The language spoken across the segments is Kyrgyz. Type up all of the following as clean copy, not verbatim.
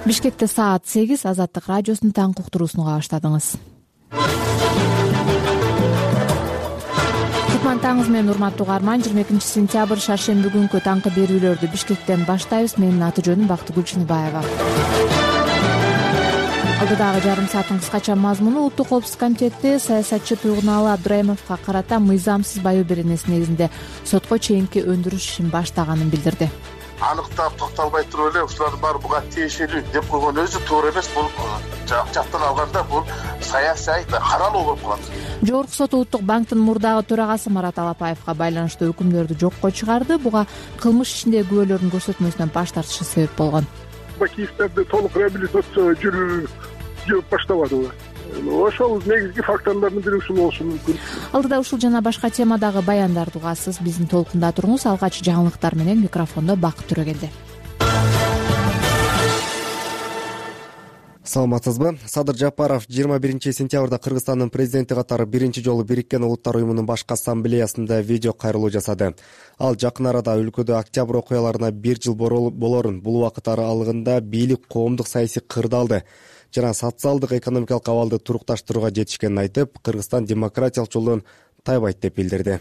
Бишкекте саат 8. Азаттык радиосунун таңкы уктуруусуна баштадыңыз. Кутман таңыңыз менен урматтуу угарман. 22 сентябрь шаршемби күнкү таңкы берүүлөрдү Бишкектен баштайбыз. Менин аты жөнүм Бактыгүл Чыныбаева. Алдыдагы жарым сааттын кыскача мазмуну Улуттук коопсуздук комитети саясатчы Туйгуналы Абдраимовго карата мыйзамсыз баю беренеси негизинде сотко чейинки өндүрүш ишин баштаганын билдирди. Аныктап токтолбой туруп эле ушулардын баары буга тиешелүү деп койгон өзү туура эмес. Бул жактан алганда бул саясий каралуу болуп калат. Жогорку сот Улуттук банктын мурдагы төрагасы Марат Алапаевга байланыштуу өкүмдөрдү жокко чыгарды. Буга кылмыш ишиндеги күбөлөрдүн көрсөтмөсүнөн баш тартышы себеп болгон. Бакиевтерди толук реабилитация жүрүп баштабады. Ошол негизги факторлордун бири ушул болушу мүмкүн. Алдыда ушул жана башка темадагы баяндарды угасыз. Биздин толкунда туруңуз. Алгач жаңылыктар менен микрофондо Бакыт Төрөгелди. Саламатсызбы? Садыр Жапаров 21 сентябрда Кыргызстандын президенти катары биринчи жолу Бириккен Улуттар уюмунун башкы ассамблеясында видео кайрылуу жасады. Ал жакын арада өлкөдө октябрь окуяларына 1 жыл болорун, бул убакыт аралыгында бийлик коомдук саясий кырдаалды жана социалдык экономикалык абалды турукташтырууга жетишкенин айтып, Кыргызстан демократиялык жолдон тайбайт деп билдирди.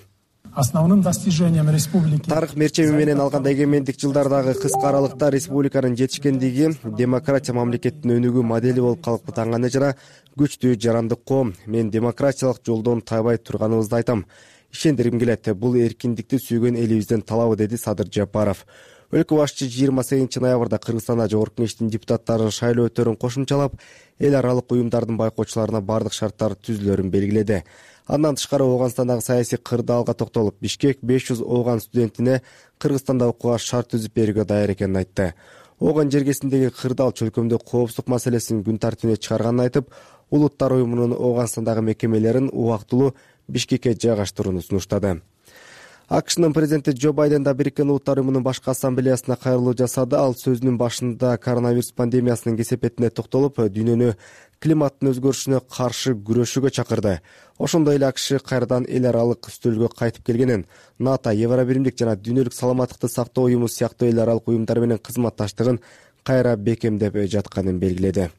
Основным достижением республики тарых мерчеми менен алганда эгемендик жылдардагы кыска аралыкта республиканын жетишкендиги демократия мамлекеттин өнүгүү модели болуп калыптанганы жана күчтүү жарандык коом. Мен демократиялык жолдон тайбай турганыбызды айтам. Ишендиргим келет, бул эркиндикти сүйгөн элибиздин талабы, деди Садыр Жапаров. Өлкө башчы 28 ноябрда Кыргызстанда Жогорку Кеңештин депутаттарын шайлоо өтөрүн кошумчалап, эл аралык уюмдардын байкоочуларына бардык шарттар түзүлөрүн белгиледи. Андан тышкары Ооганстандагы саясий кырдаалга токтолуп, Бишкек 500 Ооган студентине Кыргызстанда окууга шарт түзүп берүүгө даяр экенин айтты. Ооган жергесиндеги кырдаал чөлкөмдө коопсуздук маселесин күн тартибине чыгарганын айтып, Улуттар уюмунун Ооганстандагы мекемелерин убактылуу Бишкекке жайгаштырууну сунуштады. АКШнын президенти Джо Байден да Бириккен Улуттар уюмунун башкы ассамблеясына кайрылуу жасады. Ал сөзүнүн башында коронавирус пандемиясынын кесепетине токтолуп, дүйнөнү климаттын өзгөрүшүнө каршы күрөшүүгө чакырды. Ошондой эле АКШ кайрадан эл аралык үстөлгө кайтып келгенин, НАТО, Евробиримдик жана Дүйнөлүк саламаттыкты сактоо уюму сыяктуу эл аралык уюмдар менен кызматташтыгын кайра бекемдеп жатканын белгиледи.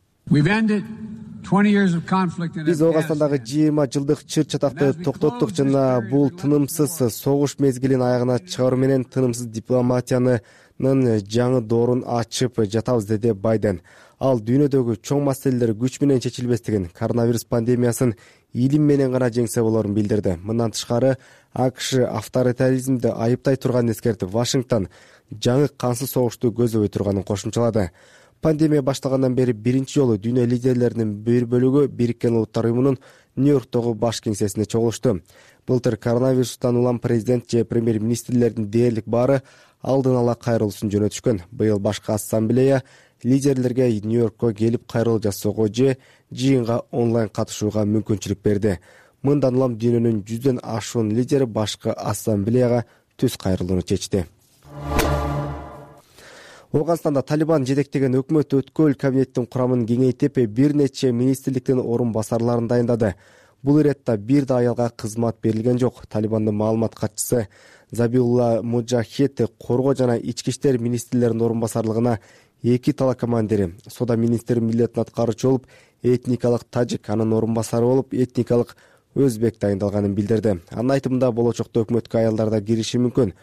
Биз Ооганстандагы 20 жылдык чыр чатакты токтоттук жана бул тынымсыз согуш мезгилин аягына чыгаруу менен тынымсыз дипломатиянын жаңы доорун ачып жатабыз, деди Байден. Ал дүйнөдөгү чоң маселелер күч менен чечилбестигин, коронавирус пандемиясын илим менен гана жеңсе болорун билдирди. Мындан тышкары АКШ авторитаризмди айыптай турганын эскертип, Вашингтон жаңы кансыз согушту көздөбөй турганын кошумчалады. Пандемия башталгандан бери биринчи жолу дүйнө лидерлеринин бир бөлүгү Бириккен Улуттар уюмунун Нью-Йорктогу баш кеңсесине чогулушту. Былтыр коронавирустан улам президент же премьер-министрлердин дээрлик баары алдын ала кайрылуусун жөнөтүшкөн. Быйыл башкы ассамблея лидерлерге Нью-Йоркко келип кайрылуу жасоого же жыйынга онлайн катышууга мүмкүнчүлүк берди. Мындан улам дүйнөнүн 100дөн ашуун лидери башкы ассамблеяга түз кайрылууну чечти. Ооганстанда Талибан жетектеген өкмөт өткөл кабинеттин курамын кеңейтип, бир нече министрликтин орун басарларын дайындады. Бул иретте бир да аялга кызмат берилген жок. Талибандын маалымат катчысы Забиулла Муджахид коргоо жана ички иштер министрлеринин орун басарлыгына 2 талакомандири, сода министри милдетин аткаруучу болуп, этникалык тажик, анын орун басары болуп, этникалык өзбек дайындалганын билдирди. Анын айтымында болочокто өкмөткө аялдар да кириши мүмкүн.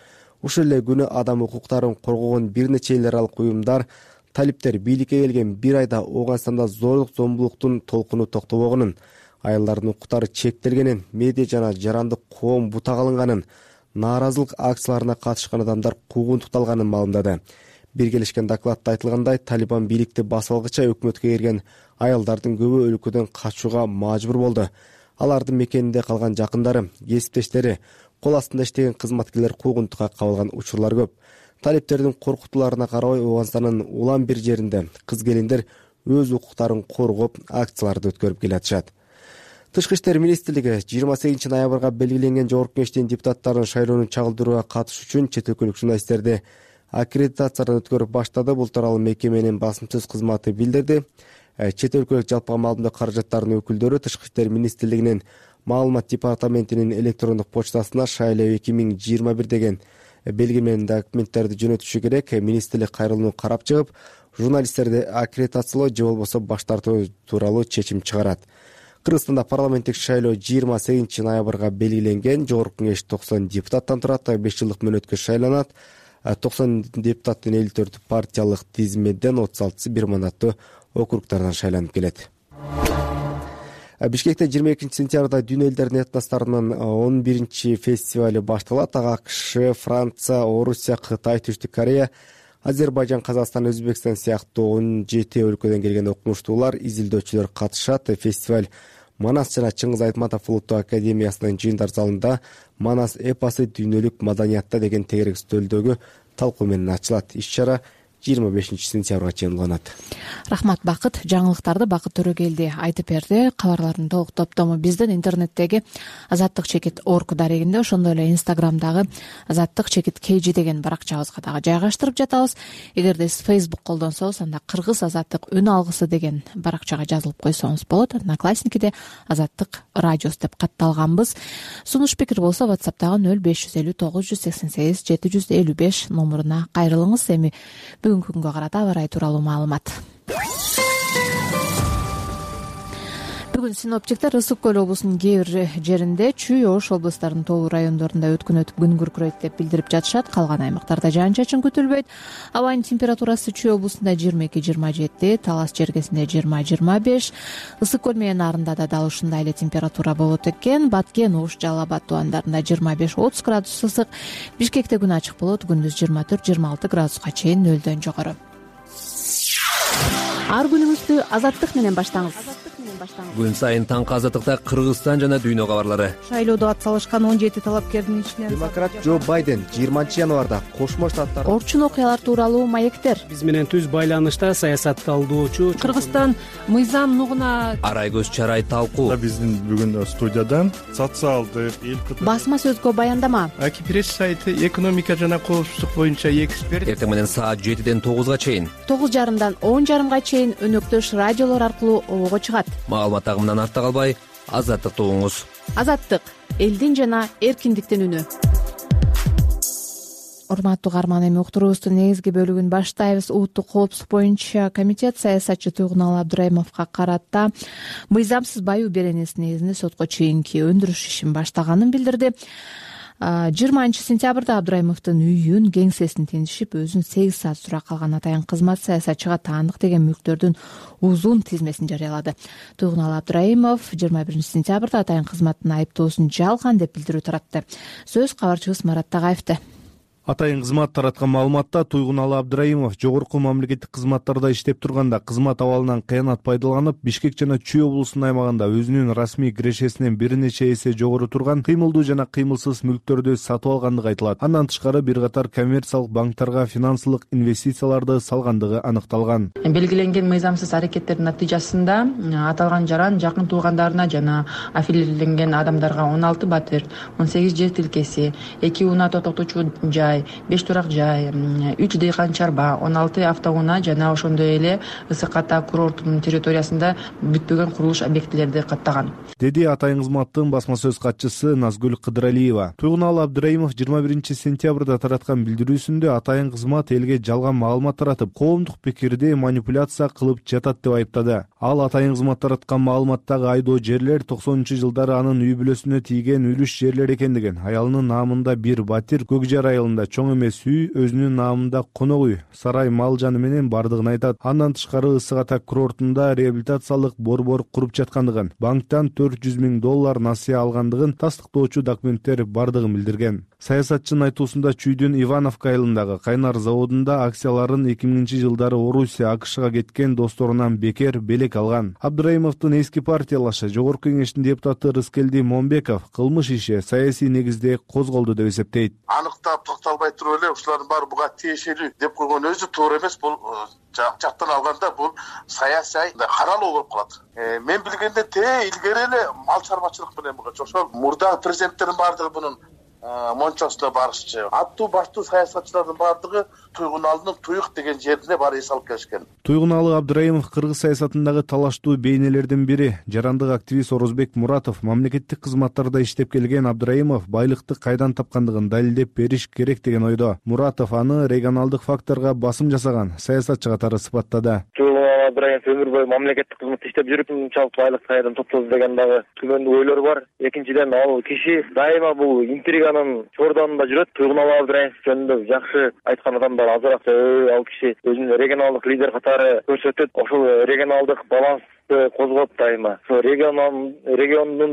Ушул эле күнү адам укуктарын коргогон бир нече эл аралык уюмдар талиптер бийликке келген бир айда Ооганстанда зорлук зомбулуктун толкуну токтобогонун, аялдардын укуктары чектелгенин, медиа жана жарандык коом бутак алынганын, нааразылык акцияларына катышкан адамдар куугунтукталганын маалымдады. Биргелешкен докладта айтылгандай, Талибан бийликти басып алгыча өкмөткө кирген аялдардын көбү өлкөдөн качууга мажбур болду. Алардын мекенинде калган жакындары, кесиптештери, кол астында иштеген кызматкерлер куугунтукка кабылган учурлар көп. Талиптердин коркутууларына карабай Ооганстандын улам бир жеринде кыз-келиндер өз укуктарын коргоп, акцияларды өткөрүп келатышат. Тышкы иштер министрлиги 28 ноябрга белгиленген Жогорку Кеңештин депутаттарын шайлоону чагылдырууга катышуу үчүн чет өлкөлүк журналисттерди аккредитациядан өткөрүп баштады. Бул тууралуу мекеменин басымсыз кызматы билдирди. Чет өлкөлүк жалпы маалымат каражаттарынын өкүлдөрү Тышкы иштер министрлигинин маалымат департаментинин электрондук почтасына шайлоо 2021 деген белги менен документтерди жөнөтүшү керек. Министрлик кайрылууну карап чыгып, журналисттерди аккредитациялоо же болбосо баш тартуу тууралуу чечим чыгарат. Кыргызстанда парламенттик шайлоо 28 ноябрга белгиленген. Жогорку кеңеш 90 депутаттан турат, 5 жылдык мөөнөткө шайланат. 90 депутаттын 54 партиялык тизмеден 36 бир мандаттуу округдардан шайланып келет. Бишкекте 22 сентябрда Дүйнө элдеринин этносторунун 11 фестивали башталат. Ага АКШ, Франция, Орусия, Кытай, Түштүк Корея, Азербайжан, Казакстан, Өзбекстан сыяктуу 17 өлкөдөн келген окумуштуулар, изилдөөчүлөр катышат. Фестиваль Манас жана Чыңгыз Айтматов улуттук академиясынын жыйындар залында Манас эпосы дүйнөлүк маданиятта деген тегерек үстөлдөгү талкуу менен ачылат. Иш-чара 25 сентябрга чейин уланат. Рахмат Бакыт. Жаңылыктарды Бакыт Төрөгелди айтып берди. Кабарлардын толук топтому биздин интернеттеги azattik.org дарегинде, ошондой эле Instagramдагы azattik.kg деген баракчабызга дагы жайгаштырып жатабыз. Эгерде сиз Facebook колдонсоңуз, анда Кыргыз Азаттык үн алгысы деген баракчага жазылып койсоңуз болот. Одноклассникиде Азаттык радиос деп катталганбыз. Сунуш пикир болсо WhatsApp'тагы 0550 988 755 номуруна кайрылыңыз. Эми бүгүнкү күнгө карата аба ырайы тууралуу маалымат. Бүгүн синоптиктер Ысык көл облусунун кээ бир жеринде, Чүй, Ош облустарынын тоолуу райондорунда өткүн өтүп күн күркүрөйт деп билдирип жатышат. Калган аймактарда жаан-чачын күтүлбөйт. Абанын температурасы Чүй облусунда 22-27, Талас жергесинде 20-25, Ысык көл менен Нарында да дал ушундай эле температура болот экен. Баткен, Ош, Жалал Абад тубандарында 25-30 градус ысык. Бишкекте күн ачык болот, күндүз 24-26 градуска чейин нөлдөн жогору. Ар күнүңүздү Азаттык менен баштаңыз. Күн сайын таңкы Азаттыкта Кыргызстан жана дүйнө кабарлары. Шайлоодо атсалышкан 17 талапкердин ичинен Демократ Джо Байден 20 январда Кошмо Штаттар Орчун окуялар тууралуу маектер. Биз менен түз байланышта саясат талдоочу Кыргызстан мыйзам нугуна Арай көз чарай талкуу. Биздин бүгүн студиядан социалдык Басма сөзгө баяндама. Акипресс сайты экономика жана коопсуздук боюнча эксперт. Эртең менен саат 7ден 9га чейин. 9:30дан 10:30га чейин өнөктөш радиолор аркылуу обого чыгат. Маалымат агымынан артта калбай, Азаттыкты угуңуз. Азаттык — элдин жана эркиндиктин үнү. Урматтуу угарман, эми уктуруубуздун негизги бөлүгүн баштайбыз. Улуттук коопсуздук боюнча комитет саясатчы Туйгуналы Абдырайымовго карата мыйзамсыз баюу беренеси негизинде сотко чейинки өндүрүш ишин баштаганын билдирди. 20 сентябрда Абдырайымовдун үйүн, кеңсесин тинтишип, өзүн 8 саат суракка алган атайын кызмат саясатчыга таандык деген мүлктөрдүн узун тизмесин жарыялады. Туйгуналы Абдырайымов 21 сентябрда атайын кызматтын айыптоосун жалган деп билдирүү таратты. Сөз кабарчыбыз Марат Тагаевде. Атайын кызмат тараткан маалыматта Туйгуналы Абдырайымов жогорку мамлекеттик кызматтарда иштеп турганда кызмат абалынан кыянат пайдаланып, Бишкек жана Чүй облусунун аймагында өзүнүн расмий кирешесинен бир нече эсе жогору турган кыймылдуу жана кыймылсыз мүлктөрдү сатып алгандыгы айтылат. Андан тышкары бир катар коммерциялык банктарга финансылык инвестицияларды салгандыгы аныкталган. Белгиленген мыйзамсыз аракеттердин натыйжасында аталган жаран жакын туугандарына жана аффилирленген адамдарга 16 батир, 18 жер тилкеси, 2 унаа токтотуучу жай, 5 турак жай, 3 дыйкан чарба, 16 автоунаа жана ошондой эле Ысык Ата курортунун территориясында бүтпөгөн курулуш объектилерди каттаган, деди атайын кызматтын басма сөз катчысы Назгүл Кыдыралиева. Туйгуналы Абдырайымов 21 сентябрда тараткан билдирүүсүндө атайын кызмат элге жалган маалымат таратып, коомдук пикирди манипуляция кылып жатат деп айыптады. Ал атайын кызмат тараткан маалыматтагы айдоо жерлер 90-жылдары анын үй бүлөсүнө тийген үлүш жерлер экендигин, аялынын наамында бир батир, Көкжар айылында чоң эмес үй, өзүнүн наамында конок үй, сарай, мал жаны менен бардыгын айтат. Андан тышкары Ысык Ата курортунда реабилитациялык борбор куруп жаткандыгын, банктан $400 000 насыя алгандыгын тастыктоочу документтер бардыгын билдирген. Саясатчынын айтуусунда Чүйдүн Ивановка айылындагы кайнар заводунда акцияларын 2000-жылдары Орусия, АКШга кеткен досторунан бекер белек алган. Абдырайымовдун эски партиялашы Жогорку кеңештин депутаты Рыскелди Момбеков кылмыш иши саясий негизде козголду деп эсептейт. Аныктап токтолбой туруп эле ушулардын баары буга тиешелүү деп койгон өзү туура эмес. Бул жактан алганда бул саясий каралуу болуп калат. Мен билгенде илгери эле мал чарбачылык менен ошол мурдагы президенттердин баардыгы мунун мончосуна барышчы. Аттуу баштуу саясатчылардын баардыгы Туйгуналдын Туйук деген жерине барып эс алып келишкен. Туйгуналы Абдыраимов кыргыз саясатындагы талаштуу бейнелердин бири. Жарандык активист Орозбек Муратов мамлекеттик кызматтарда иштеп келген Абдыраимов байлыкты кайдан тапкандыгын далилдеп бериш керек деген ойдо. Муратов аны регионалдык факторго басым жасаган саясатчы катары сыпаттады. Абдыраимов өмүр бою мамлекеттик кызматта иштеп жүрүп, мынчалык байлык кайдан топтоду деген дагы түмөндүү ойлор бар. Экинчиден, ал киши дайыма бул интриганын чордонунда жүрөт. Туйгуналы Абдыраимов жөнүндө жакшы айткан адамдар азыраак, ал киши өзүн регионалдык лидер катары көрсөтөт. Ошол регионалдык баланс козгоп дайыма. Региондун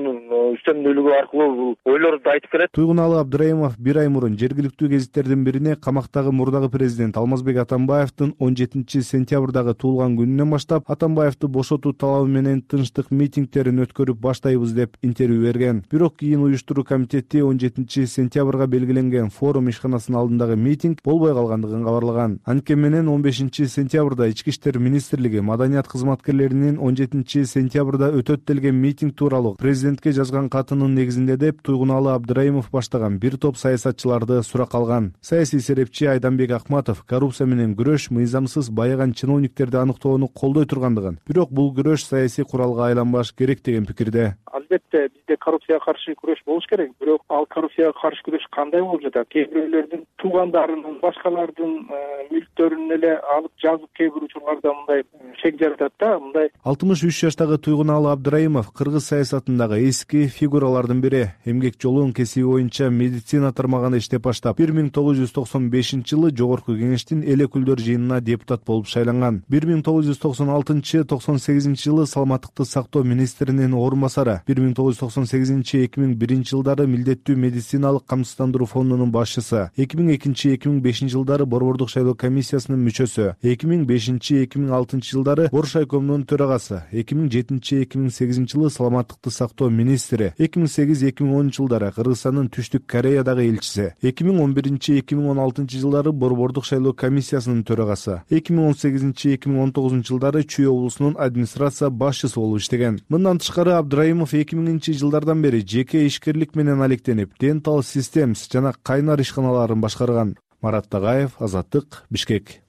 үстөмдүүлүгү аркылуу бул ойлорду айтып келет. Туйгуналы Абдыраимов бир ай мурун жергиликтүү гезиттердин бирине камактагы мурдагы президент Алмазбек Атамбаевдин 17 сентябрдагы туулган күнүнөн баштап Атамбаевди бошотуу талабы менен тынчтык митингдерин өткөрүп баштайбыз деп интервью берген. Бирок кийин уюштуруу комитети 17 сентябрга белгиленген форум ишканасынын алдындагы митинг болбой калгандыгын кабарлаган. Анткени менен 15 сентябрда Ички иштер министрлиги маданият кызматкерлеринин 17 сентябрда өтөт делген митинг тууралуу президентке жазган катынын негизинде деп Туйгуналы Абдыраимов баштаган бир топ саясатчыларды суракка алган. Саясий серепчи Айданбек Акматов коррупция менен күрөш мыйзамсыз байыган чиновниктерди аныктоону колдой тургандыгын, бирок бул күрөш саясий куралга айланбаш керек деген пикирде. Албетте бизде коррупцияга каршы күрөш болуш керек, бирок ал коррупцияга каршы күрөш кандай болуп жатат? Кээ бирөөлөрдүн туугандарынын, башкалардын мүлктөрүн эле алып жазып кээ бир учурларда мындай шек жаратат да, мындай. 63 жаштагы Туйгуналы Абдыраимов кыргыз саясатындагы эски фигуралардын бири. Эмгек жолун кесиби боюнча медицина тармагында иштеп баштап, 1995-жылы Жогорку Кеңештин эл өкүлдөр жыйынына депутат болуп шайланган. 1996-98-жылы саламаттыкты сактоо министринин орун басары, 1998-2001 жылдары милдеттүү медициналык камсыздандыруу фондунун башчысы, 2002-2005 жылдары Борбордук шайлоо комиссиясынын мүчөсү, 2005-2006 жылдары Боршайкомдун төрагасы, 2007-2008 жылы саламаттыкты сактоо министри, 2008-2010 жылдары Кыргызстандын Түштүк Кореядагы элчиси, 2011-2016 жылдары Борбордук шайлоо комиссиясынын төрагасы, 2018-2019 жылдары Чүй облусунун администрация башчысы болуп иштеген. Мындан тышкары Абдыраимов 2000 жылдардан бери жеке ишкерлик менен алектенип, Dental Systems жана Кайнар ишканаларын башкарган. Марат Тагаев, Азаттык, Бишкек.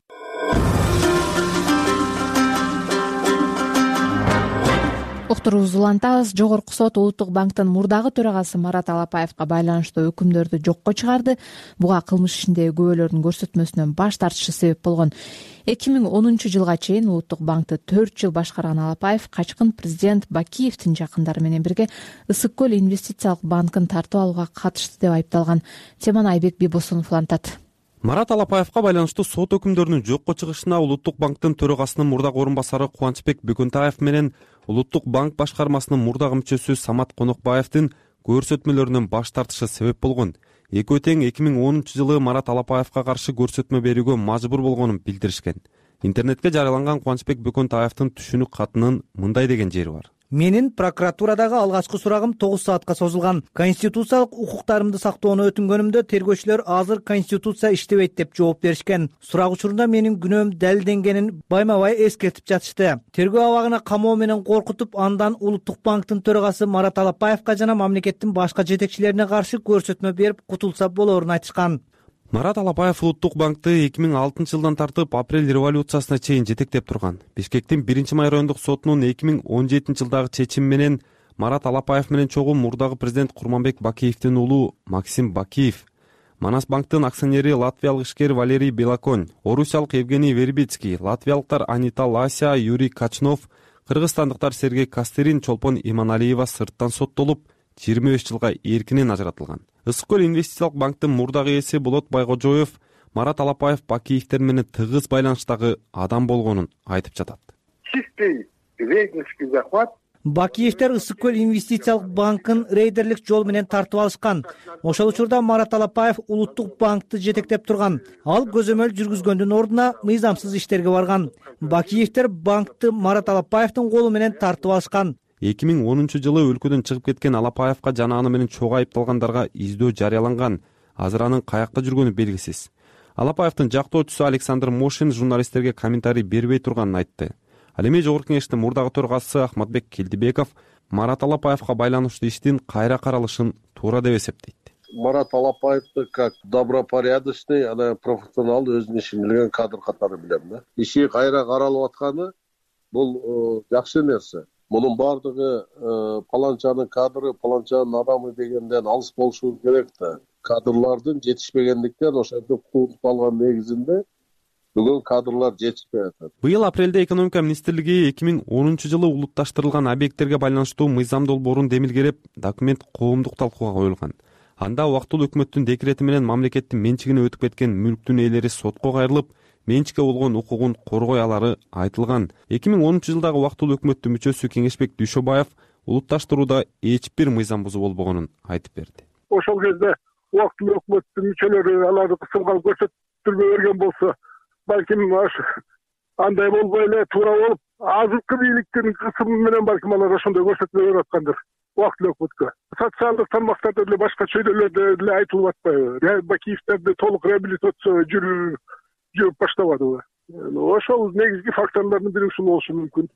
Уктуруубузду улантабыз. Жогорку сот Улуттук банктын мурдагы төрагасы Марат Алапаевга байланыштуу өкүмдөрдү жокко чыгарды. Буга кылмыш ишиндеги күбөлөрдүн көрсөтмөсүнөн баш тартышы себеп болгон. 2010 жылга чейин Улуттук банкты 4 жыл башкарган Алапаев качкын президент Бакиевдин жакындары менен бирге Ысык көл инвестициялык банкын тартып алууга катышты деп айыпталган. Теманы Айбек Бибосунов улантат. Марат Алапаевга байланыштуу сот өкүмдөрүнүн жокко чыгышына Улуттук банктын төрагасынын мурдагы орун басары Кубанычбек Бөкөнтаев менен Улуттук банк башкармасынын мурдагы мүчөсү Самат Конокбаевдин көрсөтмөлөрүнөн баш тартышы себеп болгон. Экөө тең 2010 жылы Марат Алапаевга каршы көрсөтмө берүүгө мажбур болгонун билдиришкен. Интернетке жарыяланган Кубанычбек Бөкөнтаевдин түшүнүк катынын мындай деген жери бар. Менин прокуратурадагы алгачкы сурагым 9 саатка созулган. Конституциялык укуктарымды сактоону өтүнгөнүмдө тергөөчүлөр азыр конституция иштебейт деп жооп беришкен. Сурак учурунда менин күнөөм далилденгенин байма-бай эскертип жатышты. Тергөө абагына камоо менен коркутуп, андан Улуттук банктын төрагасы Марат Алапаевга жана мамлекеттин башка жетекчилерине каршы көрсөтмө берип кутулса болорун айтышкан. Марат Алапаев Улуттук банкты 2006 жылдан тартып апрель революциясына чейин жетектеп турган. Бишкектин 1-май райондук сотунун 2017 жылдагы чечими менен Марат Алапаев менен чогуу мурдагы президент Курманбек Бакиевдин уулу Максим Бакиев, Манас банктын акционери латвиялык ишкер Валерий Белоконь, орусиялык Евгений Вербицкий, латвиялыктар Анита Лася, Юрий Качнов, кыргызстандыктар Сергей Кастерин, Чолпон Иманалиева сырттан соттолуп 25 жылга эркинен ажыратылган. Ысык көл инвестициялык банктын мурдагы ээси Болот Байгожоев Марат Алапаев Бакиевдер менен тыгыз байланыштагы адам болгонун айтып жатат. Чистый рейдерский захват. Бакиевдер Ысык көл инвестициялык банкын рейдерлик жол менен тартып алышкан. Ошол учурда Марат Алапаев Улуттук банкты жетектеп турган. Ал көзөмөл жүргүзгөндүн ордуна мыйзамсыз иштерге барган. Бакиевдер банкты Марат Алапаевдин колу менен тартып алышкан. 2010 жылы өлкөдөн чыгып кеткен Алапаевга жана аны менен чогуу айыпталгандарга издөө жарыяланган. Азыр анын каякта жүргөнү белгисиз. Алапаевдин жактоочусу Александр Мошин журналисттерге комментарий бербей турганын айтты. Ал эми Жогорку Кеңештин мурдагы төрагасы Ахматбек Келдибеков Марат Алапаевга байланыштуу иштин кайра каралышын туура деп эсептейт. Марат Алапаевди как добропорядочный, ана профессионал, өзүнүн ишин билген кадр катары билем да. Иши кайра каралып атканы бул жакшы нерсе. Мунун баардыгы паланчанын кадры, паланчанын адамы дегенден алыс болушу керек да. Кадрлардын жетишпегендиктен ошентип кууп калган негизинде бүгүн кадрлар жетишпей атат. Быйыл апрелде экономика министрлиги 2010-жылы улутташтырылган объекттерге байланыштуу мыйзам долбоорун демилгелеп, документ коомдук талкууга коюлган. Анда убактылуу өкмөттүн декрети менен мамлекеттин менчигине өтүп кеткен мүлктүн ээлери сотко кайрылып, менчикке болгон укугун коргой алары айтылган. 2010-жылдагы убактылуу өкмөттүн мүчөсү Кеңешбек Дүйшөбаев улутташтырууда эч бир мыйзам бузуу болбогонун айтып берди. Ошол кезде убактылуу өкмөттүн мүчөлөрү аларды кысылган көрсөтүлбөй берген болсо, балким андай болбой эле туура болуп, азыркы бийликтин кысымы менен балким алар ошондой көрсөтмө берип аткандыр. Убактылуу өкмөткө социалдык тармактарда деле башка чөйрөлөрдө деле айтылып атпайбы? Бакиевтерди толук реабилитация жүрүп баштабадыбы? Ошол негизги факторлордун бири ушул болушу мүмкүн.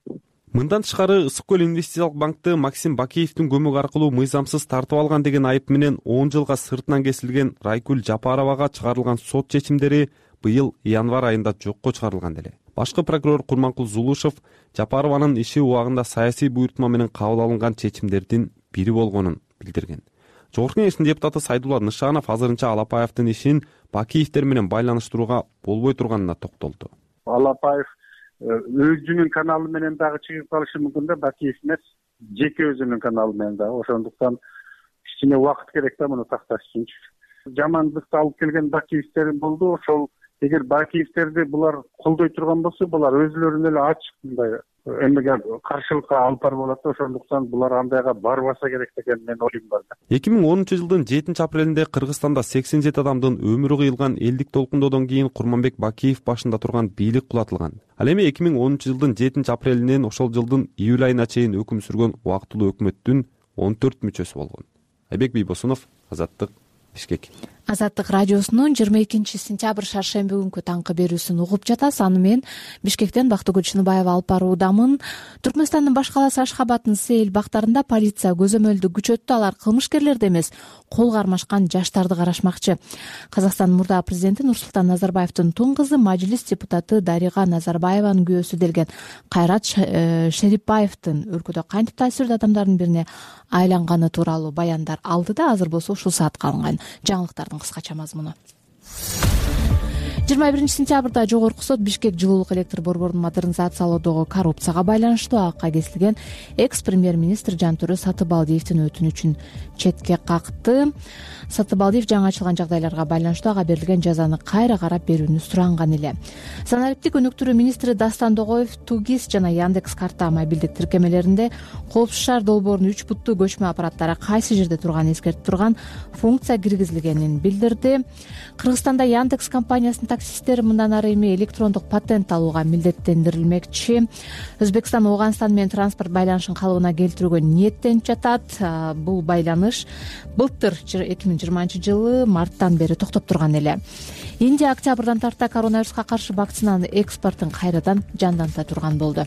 Мындан тышкары Ысык көл инвестициялык банкты Максим Бакиевдин көмөк аркылуу мыйзамсыз тартып алган деген айып менен 10 жылга сыртынан кесилген Райкүл Жапаровага чыгарылган сот чечимдери быйыл январь айында жокко чыгарылган эле. Башкы прокурор Курманкул Зулушев Жапарованын иши убагында саясий буйртма менен кабыл алынган чечимдердин бири болгонун билдирген. Жогорку Кеңештин депутаты Сайдулла Нышанов азырынча Алапаевдин ишин Бакиевдер менен байланыштырууга болбой турганына токтолду. Алапаев өзүнүн каналы менен дагы чыгып калышы мүмкүн да, Бакиев эмес, жеке өзүнүн каналы менен дагы. Ошондуктан кичине убакыт керек да муну такташ үчүнчү. Жамандыкты алып келген Бакиевдер болду. Ошол эгер Бакиевтерди булар колдой турган болсо, булар өзүлөрүнө эле ачык мындай эмеге каршылыкка алып барып алат. Ошондуктан булар андайга барбаса керек деген менин оюм бар да. 2010-жылдын 7-апрелинде Кыргызстанда 87 адамдын өмүрү кыйылган элдик толкундоодон кийин Курманбек Бакиев башында турган бийлик кулатылган. Ал эми 2010-жылдын 7-апрелинен ошол жылдын июль айына чейин өкүм сүргөн убактылуу өкмөттүн 14 мүчөсү болгон. Айбек Бийбосунов, Азаттык, Бишкек. Азаттык радиосунун 22-сентябрь шаршемби күнкү таңкы берүүсүн угуп жатасыз. Аны мен Бишкектен Бактыгүл Чыныбаева алып баруудамын. Түркмөнстандын баш калаасы Ашхабадтын Сейил бактарында полиция көзөмөлдү күчөттү. Алар кылмышкерлерди эмес, кол кармашкан жаштарды карашмакчы. Казакстандын мурдагы президенти Нурсултан Назарбаевдин тун кызы, мажлис депутаты Дарига Назарбаеванын күйөөсү делген Кайрат Шерипбаевдин өлкөдө кантип таасирдүү адамдардын бирине айланганы тууралуу баяндар алды да азыр болсо ушул саатка алынган жаңылыктардын кыскача мазмуну. 21-сентябрда жогорку сот Бишкек жылуулук электр борборун модернизациялоодогу коррупцияга байланыштуу акка кесилген экс-премьер-министр Жантөрө Сатыбалдиевдин өтүнүчүн четке какты. Сатыбалдиев жаңы ачылган жагдайларга байланыштуу ага берилген жазаны кайра карап берүүнү суранган эле. Санариптик өнүктүрүү министри Дастан Догоев Тугис жана Яндекс карта мобилдик тиркемелеринде коопсуз шаар долбоорунун 3 буттуу көчмө аппараттары кайсы жерде турганын эскертип турган функция киргизилгенин билдирди. Кыргызстанда Яндекс компаниясынын таксисттери мындан ары эми электрондук патент алууга милдеттендирилмекчи. Өзбекстан Ооганстан менен транспорт байланышын калыбына келтирүүгө ниеттенип жатат. Бул байланыш былтыр 2020-жылы марттан бери токтоп турган эле. Индия октябрдан тарта коронавируска каршы вакцинанын экспортун кайрадан жанданта турган болду.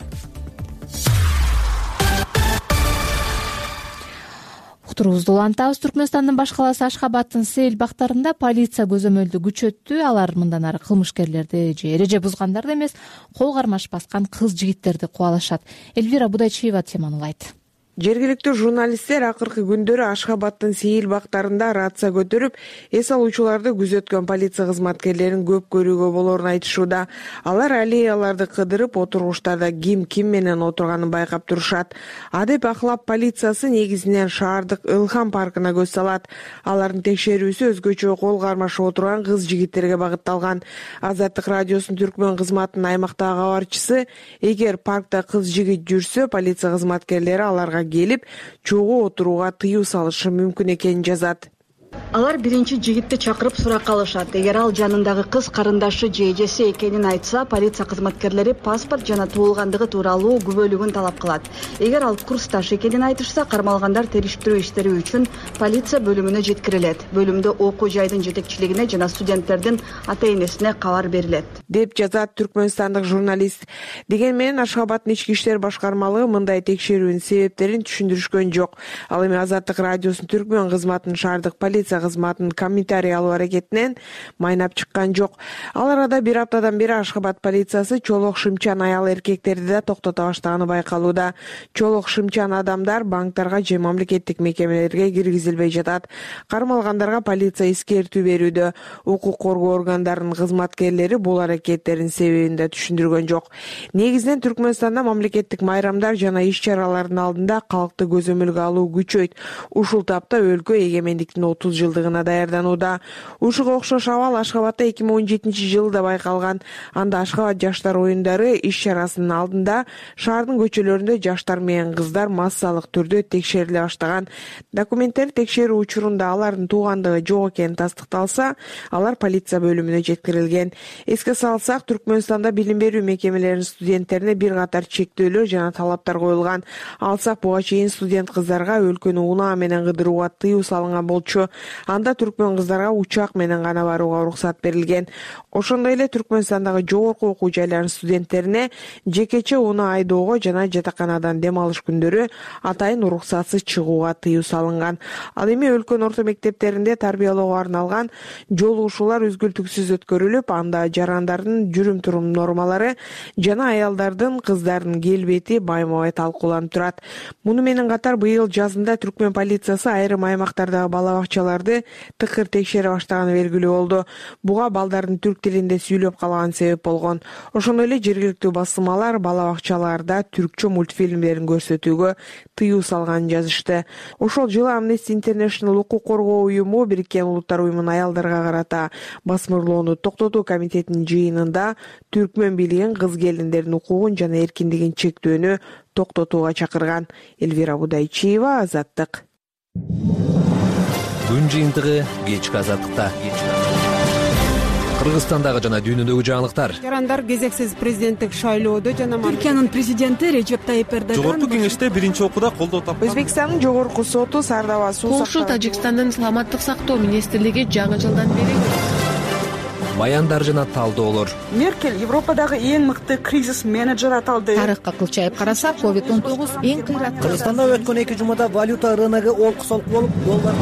Уктуруубузду улантабыз. Түркмөнстандын баш калаасы Ашхабадтын Сейил бактарында полиция көзөмөлдү күчөттү. Алар мындан ары кылмышкерлерди же эреже бузгандарды эмес, кол кармаш баскан кыз жигиттерди кубалашат. Эльвира Будайчиева теманы улайт. Жергиликтүү журналисттер акыркы күндөрү Ашхабадтын Сейил бактарында рация көтөрүп, эс алуучуларды күзөткөн полиция кызматкерлерин көп көрүүгө болорун айтышууда. Алар аллеяларды кыдырып, отургучтарда ким менен отурганын байкап турушат. Адеп ахлап полициясы негизинен шаардык Ылхам паркына көз салат. Алардын текшерүүсү өзгөчө кол кармашып отурган кыз жигиттерге багытталган. Азаттык радиосунун Түркмөн кызматынын аймактагы кабарчысы, эгер паркта кыз жигит жүрсө, полиция кызматкерлери аларга келип, чогуу отурууга тыюу салышы мүмкүн экенин жазат. Алар биринчи жигитти чакырып суракка алышат. Эгер ал жанындагы кыз карындашы же эжеси экенин айтса, полиция кызматкерлери паспорт жана туулгандыгы тууралуу күбөлүгүн талап кылат. Эгер ал курсташ экенин айтышса, кармалгандар териштирүү иштери үчүн полиция бөлүмүнө жеткирилет. Бөлүмдө окуу жайдын жетекчилигине жана студенттердин ата-энесине кабар берилет, деп жазат түркмөнстандык журналист. Деген менен Ашхабадтын ички иштер башкармалыгы мындай текшерүүнүн себептерин түшүндүрүшкөн жок. Ал эми Азаттык радиосунун Түркмөн кызматынын шаардык полиция кызматынын комментарий алуу аракетинен майнап чыккан жок. Ал арада бир аптадан бери Ашхабад полициясы чолок шымчан аял эркектерди да токтото баштаганы байкалууда. Чолок шымчан адамдар банктарга же мамлекеттик мекемелерге киргизилбей жатат. Кармалгандарга полиция эскертүү берүүдө. Укук коргоо органдарынын кызматкерлери бул аракеттердин себебин да түшүндүргөн жок. Негизинен Түркмөнстанда мамлекеттик майрамдар жана иш-чаралардын алдында калкты көзөмөлгө алуу күчөйт. Ушул тапта өлкө эгемендиктин 30 жылдыгына даярданууда. Ушуга окшош абал Ашхабадда 2017-жылда байкалган. Анда Ашхабад жаштар оюндары иш-чарасынын алдында шаардын көчөлөрүндө жаштар менен кыздар массалык түрдө текшериле баштаган. Документтер текшерүү учурунда алардын туугандыгы жок экени тастыкталса, алар полиция бөлүмүнө жеткирилген. Эске салсак, Түркмөнстанда билим берүү мекемелеринин студенттерине бир катар чектөөлөр жана талаптар коюлган. Алсак, буга чейин студент кыздарга өлкөнү унаа менен кыдырууга тыюу салынган болчу. Анда түркмөн кыздарга учак менен гана барууга уруксат берилген. Ошондой эле Түркмөнстандагы жогорку окуу жайларынын студенттерине жекече унаа айдоого жана жатаканадан дем алыш күндөрү атайын уруксатсыз чыгууга тыюу салынган. Ал эми өлкөнүн орто мектептеринде тарбиялоого арналган жолугушуулар үзгүлтүксүз өткөрүлүп, анда жарандардын жүрүм-турум нормалары жана аялдардын, кыздардын келбети байма-бай талкууланып турат. Муну менен катар быйыл жазында Түркмөн полициясы айрым аймактардагы бала бакчаларды тыкыр текшере баштаганы белгилүү болду. Буга балдардын түрк тилинде сүйлөп калганы себеп болгон. Ошондой эле жергиликтүү басылмалар бала бакчаларда түркчө мультфильмдерин көрсөтүүгө тыюу салганын жазышты. Ошол жылы Amnesty International укук коргоо уюму Бириккен Улуттар уюмунун аялдарга карата басмырлоону токтотуу комитетинин жыйынында түркмөн бийлигин кыз келиндердин укугун жана эркиндигин чектөөнү токтотууга чакырган. Элвира Будайчиева, Азаттык. Күн жыйынтыгы кечки Азаттыкта. Кыргызстандагы жана дүйнөдөгү жаңылыктар. Жарандар кезексиз президенттик шайлоодо жана Түркиянын президенти Режеп Тайип Эрдоган жогорку кеңеште биринчи окууда колдоо тапкан. Өзбекстандын жогорку соту Сардаба суу Польша Тажикстандын саламаттык сактоо министрлиги жаңы жылдан бери баяндар жана талдоолор. Меркель Европадагы эң мыкты кризис менеджер аталды. Тарыхка кылчайып карасак, COVID-19 эң кыйраттуу. Кыргызстанда өткөн 2 жумада валюта рыногу олку-солку болуп, доллар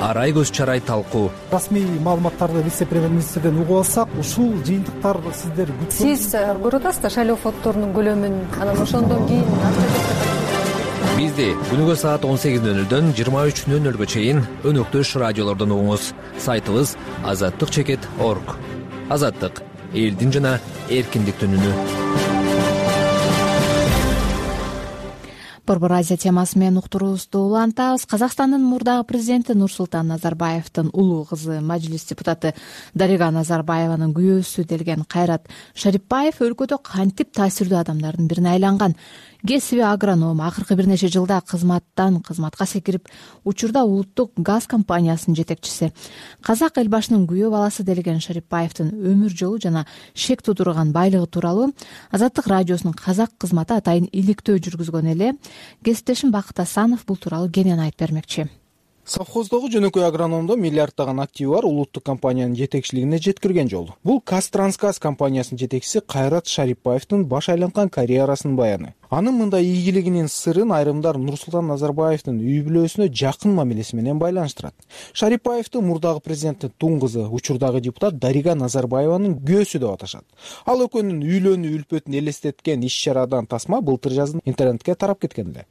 Арай көз чарай талкуу. Расмий маалыматтарды вице-премьер-министрден угуп алсак, ушул жыйынтыктар сиздер Сиз көрүп атасыздар шайлоо фонддорунун көлөмүн, анан ошондон кийин Бизди күнүгө саат 18:00дөн 23:00га чейин өнөктөш радиолордон угуңуз. Сайтыбыз azattik.org. Азаттык — элдин жана эркиндиктин үнү. Борбор Азия темасы менен уктуруубузду улантабыз. Казакстандын мурдагы президенти Нурсултан Назарбаевдин улуу кызы, мажлис депутаты Дарига Назарбаеванын күйөөсү делген Кайрат Шарипбаев өлкөдө кантип таасирдүү адамдардын бирине айланган. Кесиби агроном, акыркы бир нече жылда кызматка секирип, учурда улуттук газ компаниясынын жетекчиси. Казак эл башынын күйөө баласы делген Шарипбаевдин өмүр жолу жана шек тудурган байлыгы тууралуу Азаттык радиосунун казак кызматы атайын иликтөө жүргүзгөн эле. Кесиптешим Бакыт Асанов бул тууралуу кенен айтып бермекчи. Совхоздогу жөнөкөй агрономдо миллиарддаган активи бар улуттук компаниянын жетекчилигине жеткирген жол. Бул Казтрансгаз компаниясынын жетекчиси Кайрат Шарипбаевдин баш айланткан карьерасынын баяны. Анын мындай ийгилигинин сырын айрымдар Нурсултан Назарбаевдин үй бүлөсүнө жакын мамилеси менен байланыштырат. Шарипбаевди мурдагы президенттин туң кызы, учурдагы депутат Дарига Назарбаеванын күйөөсү деп аташат. Ал экөөнүн үйлөнүү үлпөтүн элестеткен иш-чарадан тасма былтыр жазын интернетке тарап кеткен эле.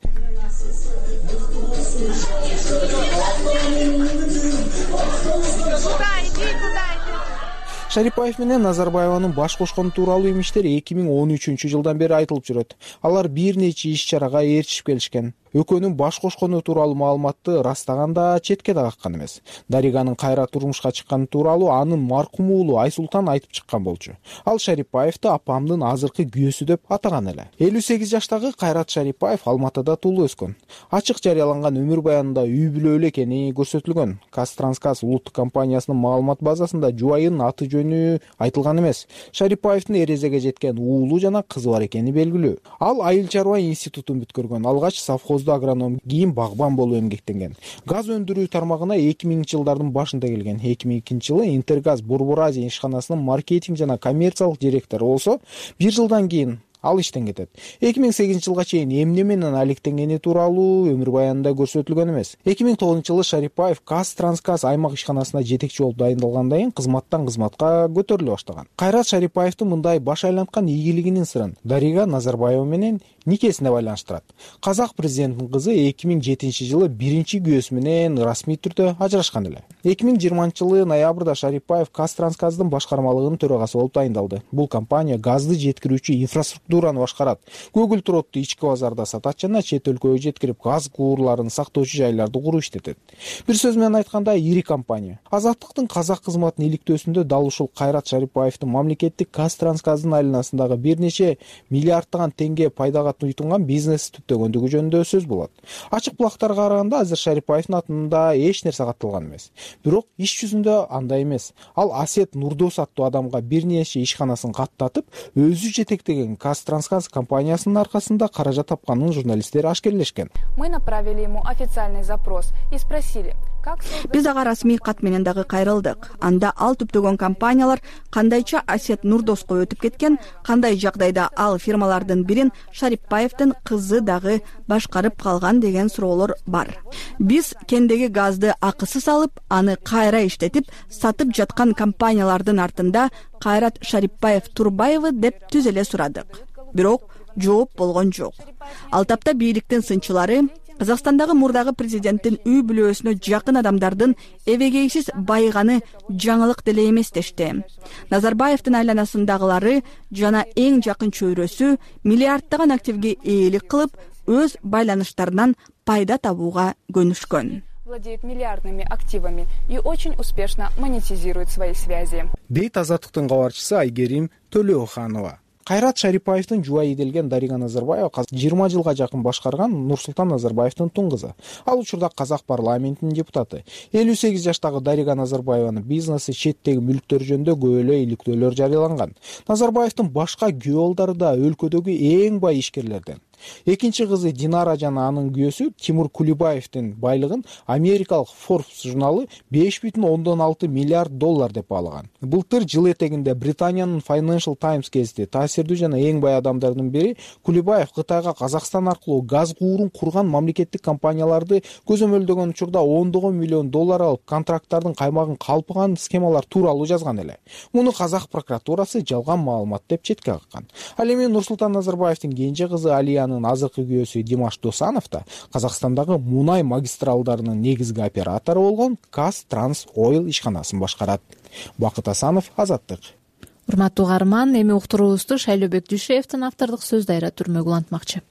Шарипбаев менен Назарбаеванын баш кошкону тууралуу имиштер 2013-жылдан бери айтылып жүрөт. Алар бир нече иш-чарага ээрчишип келишкен. Экөөнүн баш кошкону тууралуу маалыматты растаганда четке да каккан эмес. Дариганын кайра турмушка чыкканы тууралуу анын маркум уулу Айсултан айтып чыккан болчу. Ал Шарипбаевди апамдын азыркы күйөөсү деп атаган эле. 58 жаштагы Кайрат Шарипбаев Алматыда туулуп өскөн. Ачык жарыяланган өмүр баянында үй бүлөлүү эле экени көрсөтүлгөн. Казтрансгаз улуттук компаниясынын маалымат базасында жубайынын аты жөнү айтылган эмес. Шарипбаевдин эрезеге жеткен уулу жана кызы бар экени белгилүү. Ал айыл чарба институтун бүткөргөн. Алгач совхоздо агроном, кийин багбан болуп эмгектенген. Газ өндүрүү тармагына 2000-жылдардын башында келген. 2002-жылы Интергаз Борбор Азия ишканасынын маркетинг жана коммерциялык директору болсо, бир жылдан кийин ал иштен кетет. 2008-жылга чейин эмне менен алектенгени тууралуу өмүр баянында көрсөтүлгөн эмес. 2009-жылы Шарипаев Казтрансгаз аймак ишканасына жетекчи болуп дайындалгандан кийин кызматтан кызматка көтөрүлө баштаган. Кайрат Шарипаевдин мындай баш айланткан ийгилигинин сырын Дарига Назарбаева менен никесине байланыштырат. Казак президентинин кызы 2007-жылы биринчи күйөөсү менен расмий түрдө ажырашкан эле. 2020-жылы ноябрда Шарипаев Казтрансгаздын башкармалыгынын төрагасы болуп дайындалды. Бул компания газды жеткирүүчү инфраструктураны башкарат. Көгүлтүр отту ички базарда сатат жана чет өлкөгө жеткирип газ куурларын сактоочу жайларды куруп иштетет. Бир сөз менен айтканда, ири компания. Азаттыктын казак кызматынын иликтөөсүндө дал ушул Кайрат Шарипаевдин мамлекеттик Казтрансгаздын айланасындагы бир нече миллиарддаган теңге пайдага туйтунган бизнес түптөгөндүгү жөнүндө сөз болот. Ачык булактарга караганда азыр Шарипаевдин атында эч нерсе катталган эмес. Бирок иш жүзүндө андай эмес. Ал Асет Нурдос аттуу адамга бир нече ишканасын каттатып, өзү жетектеген Казтрансгаз компаниясынын аркасында каражат тапканын журналисттер ашкерлешкен. Мы направили ему официальный запрос и спросили: биз ага расмий кат менен дагы кайрылдык. Анда ал түптөгөн компаниялар кандайча Асет Нурдоско өтүп кеткен, кандай жагдайда ал фирмалардын бирин Шарипаевдин кызы дагы башкарып калган деген суроолор бар. Биз кендеги газды акысыз алып, аны кайра иштетип сатып жаткан компаниялардын артында Кайрат Шарипаев Турбаевы деп түз эле сурадык. Бирок жооп болгон жок. Ал тапта бийликтин сынчылары Казакстандагы мурдагы президенттин үй бүлөсүнө жакын адамдардын эбегейсиз байыганы жаңылык деле эмес дешти. Назарбаевдин айланасындагылары жана эң жакын чөйрөсү миллиарддаган активге ээлик кылып, өз байланыштарынан пайда табууга көнүшкөн. Владеет миллиардными активами и очень успешно монетизирует свои связи. Дейт Азаттыктын кабарчысы Айгерим Төлөөханова. Кайрат Шарипаевдин жубайы делген Дарига Назарбаева 20 жылга жакын башкарган Нурсултан Назарбаевдин тун кызы. Ал учурда Казак парламентинин депутаты. 58 жаштагы Дарига Назарбаеванын бизнеси, четтеги мүлктөр жөнүндө көп эле иликтөөлөр жарыяланган. Назарбаевдин башка күйөөолдору да өлкөдөгү эң бай ишкерлерден. Экинчи кызы Динара жана анын күйөөсү Тимур Кулибаевдин байлыгын америкалык Forbes журналы 5,6 миллиард доллар деп баалаган. Былтыр жыл этегинде Британиянын Financial Times гезити таасирдүү жана эң бай адамдардын бири Кулибаев Кытайга Казакстан аркылуу газ куурун курган мамлекеттик компанияларды көзөмөлдөгөн учурда $10 миллион алып, контракттардын каймагын калпыган схемалар тууралуу жазган эле. Муну Казак прокуратурасы жалган маалымат деп четке каккан. Ал эми Нурсултан Назарбаевдин кенже кызы Алиянын азыркы күйөөсү Димаш Досанов да Казакстандагы мунай магистралдарынын негизги оператору болгон Казтрансойл ишканасын башкарат. Бакыт Асанов, Азаттык. Урматтуу угарман, эми уктуруубузду Шайлообек Дүйшеевдин автордук сөз дайра түрмөгү улантмакчы.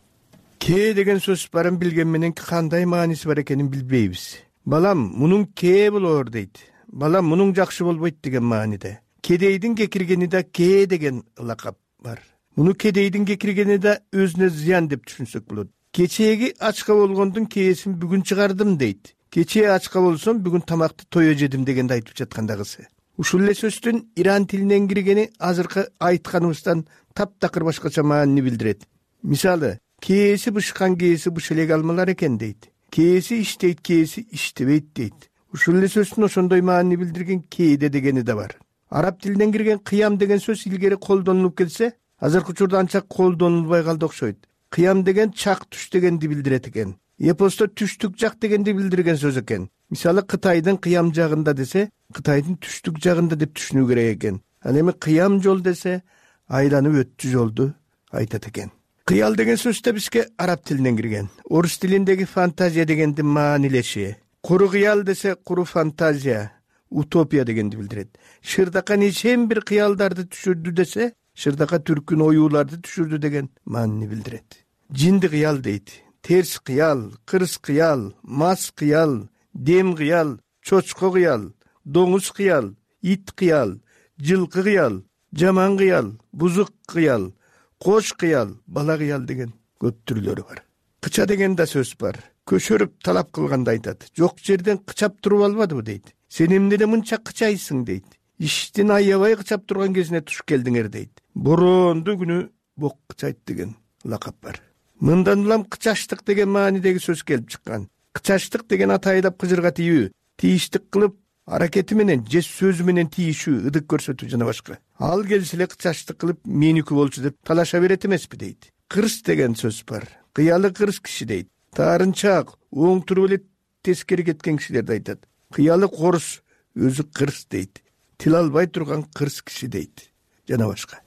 Ке деген сөз барын билген менен кандай мааниси бар экенин билбейбиз. Балам, мунун ке болор дейт. Балам, мунун жакшы болбойт деген мааниде. Кедейдин кекиргени да ке деген лакап бар. Муну кедейдин кекиргени да өзүнө зыян деп түшүнсөк болот. Кечээги ачка болгондун кээсин бүгүн чыгардым дейт. Кечээ ачка болсом бүгүн тамакты тое жедим дегенди айтып жаткандагысы. Ушул эле сөздүн иран тилинен киргени азыркы айтканыбыздан таптакыр башкача маанини билдирет. Мисалы, кээси бышкан кээси быш элек алмалар экен дейт. Кээси иштейт, кээси иштебейт дейт. Ушул эле сөздүн ошондой маанини билдирген кээде дегени да бар. Араб тилинен кирген кыям деген сөз илгери колдонулуп келсе, азыркы учурда анча колдонулбай калды окшойт. Кыям деген чак түш дегенди билдирет экен. Эпосто түштүк жак дегенди билдирген сөз экен. Мисалы, Кытайдын кыям жагында десе, Кытайдын түштүк жагында деп түшүнүү керек экен. Ал эми кыям жол десе, айланып өттү жолду айтат экен. Кыял деген сөз да бизге араб тилинен кирген. Орус тилиндеги фантазия дегенди маанилеши. Куру кыял десе, куру фантазия, утопия дегенди билдирет. Шырдака нечен бир кыялдарды түшүрдү десе, Шырдака түркүн оюуларды түшүрдү деген маанини билдирет. Жинди кыял дейт. Терс кыял, кырс кыял, мас кыял, дем кыял, чочко кыял, доңуз кыял, ит кыял, жылкы кыял, жаман кыял, бузук кыял, кош кыял, бала кыял деген көп түрлөрү бар. Кыча деген да сөз бар. Көшөрүп талап кылганда айтат. Жок жерден кычап туруп албадыбы дейт. Сен эмнеде мынча кычайсың дейт. Иштин аябай кычап турган кезине туш келдиңер дейт. Боронду күнү бок кычайт деген лакап бар. Мындан улам кычаштык деген маанидеги сөз келип чыккан. Кычаштык деген атайдап кыжырга тийүү, тийиштик кылып, аракети менен же сөзү менен тийишүү, ыдык көрсөтүү жана башка. ал келсе эле чачтык кылып меники болчу деп талаша берет эмеспи дейт. Кырс деген сөз бар. Кыялы кырс киши дейт. Таарынчаак оң туруп эле тескери кеткен кишилерди айтат. Кыялы корус өзү кырс дейт. Тил албай турган кырс киши дейт. Жана башка.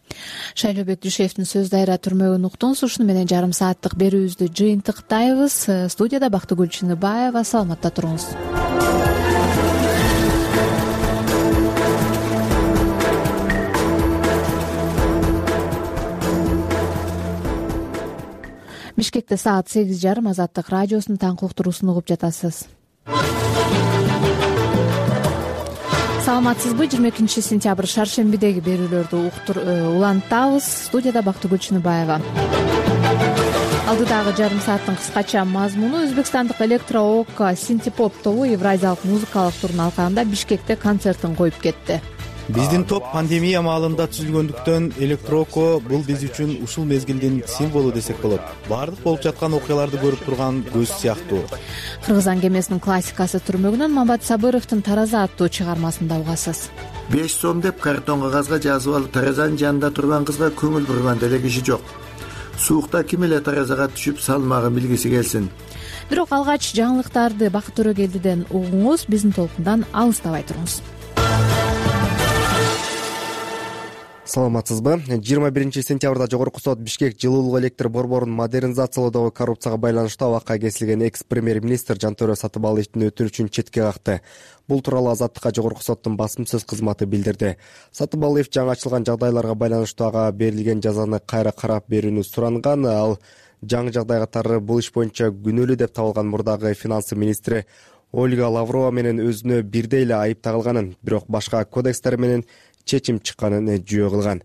Шайлообек Дүйшеевдин сөз дайра түрмөгүн уктуңуз. Ушуну менен жарым сааттык берүүбүздү жыйынтыктайбыз. Студияда Бактыгүл Чыныбаева. Саламатта туруңуз. Бишкекте саат 8:30 Азаттык радиосунун таңкы уктуруусун угуп жатасыз. Саламатсызбы? 22 сентябрь шаршембидеги берүүлөрдү улантабыз. Студияда Бактыгүл Чыныбаева. Алдыдагы жарым сааттын кыскача мазмуну: Өзбекстандык электро-ока синтепоп тобу Евразиялык музыкалык турдун алкагында Бишкекте концертин коюп кетти. Биздин топ пандемия маалында түзүлгөндүктөн электроко бул биз үчүн ушул мезгилдин символу десек болот. Баардык болуп жаткан окуяларды көрүп турган көз сыяктуу. Кыргызстан кемесинин классикасы түрмөгүнөн Мамат Сабыровдун Тараза аттуу чыгармасында угасыз. 5 сом деп картон кагазга жазып алып таразанын жанында турган кызга көңүл бурган деле киши жок. Суукта ким эле таразага түшүп салмагын билгиси келсин. Бирок алгач жаңылыктарды Бакыт Төрөгелдиден угуңуз, биздин толкундан алыстабай туруңуз. Саламатсызбы? 21 сентябрда Жогорку сот Бишкек жылуулук электр борборун модернизациялоодогу коррупцияга байланыштуу абакка кесилген экс-премьер-министр Жантөрө Сатыбалиевдин өтүнүчүн четке какты. Бул тууралуу Азаттыкка Жогорку соттун басым сөз кызматы билдирди. Сатыбалиев жаңы ачылган жагдайларга байланыштуу ага берилген жазаны кайра карап берүүнү суранган. Ал жаңы жагдай катары бул иш боюнча күнөөлүү деп табылган мурдагы финансы министри Ольга Лаврова менен өзүнө бирдей эле айып тагылганын, бирок башка кодекстер менен чечим чыкканын жүйө кылган.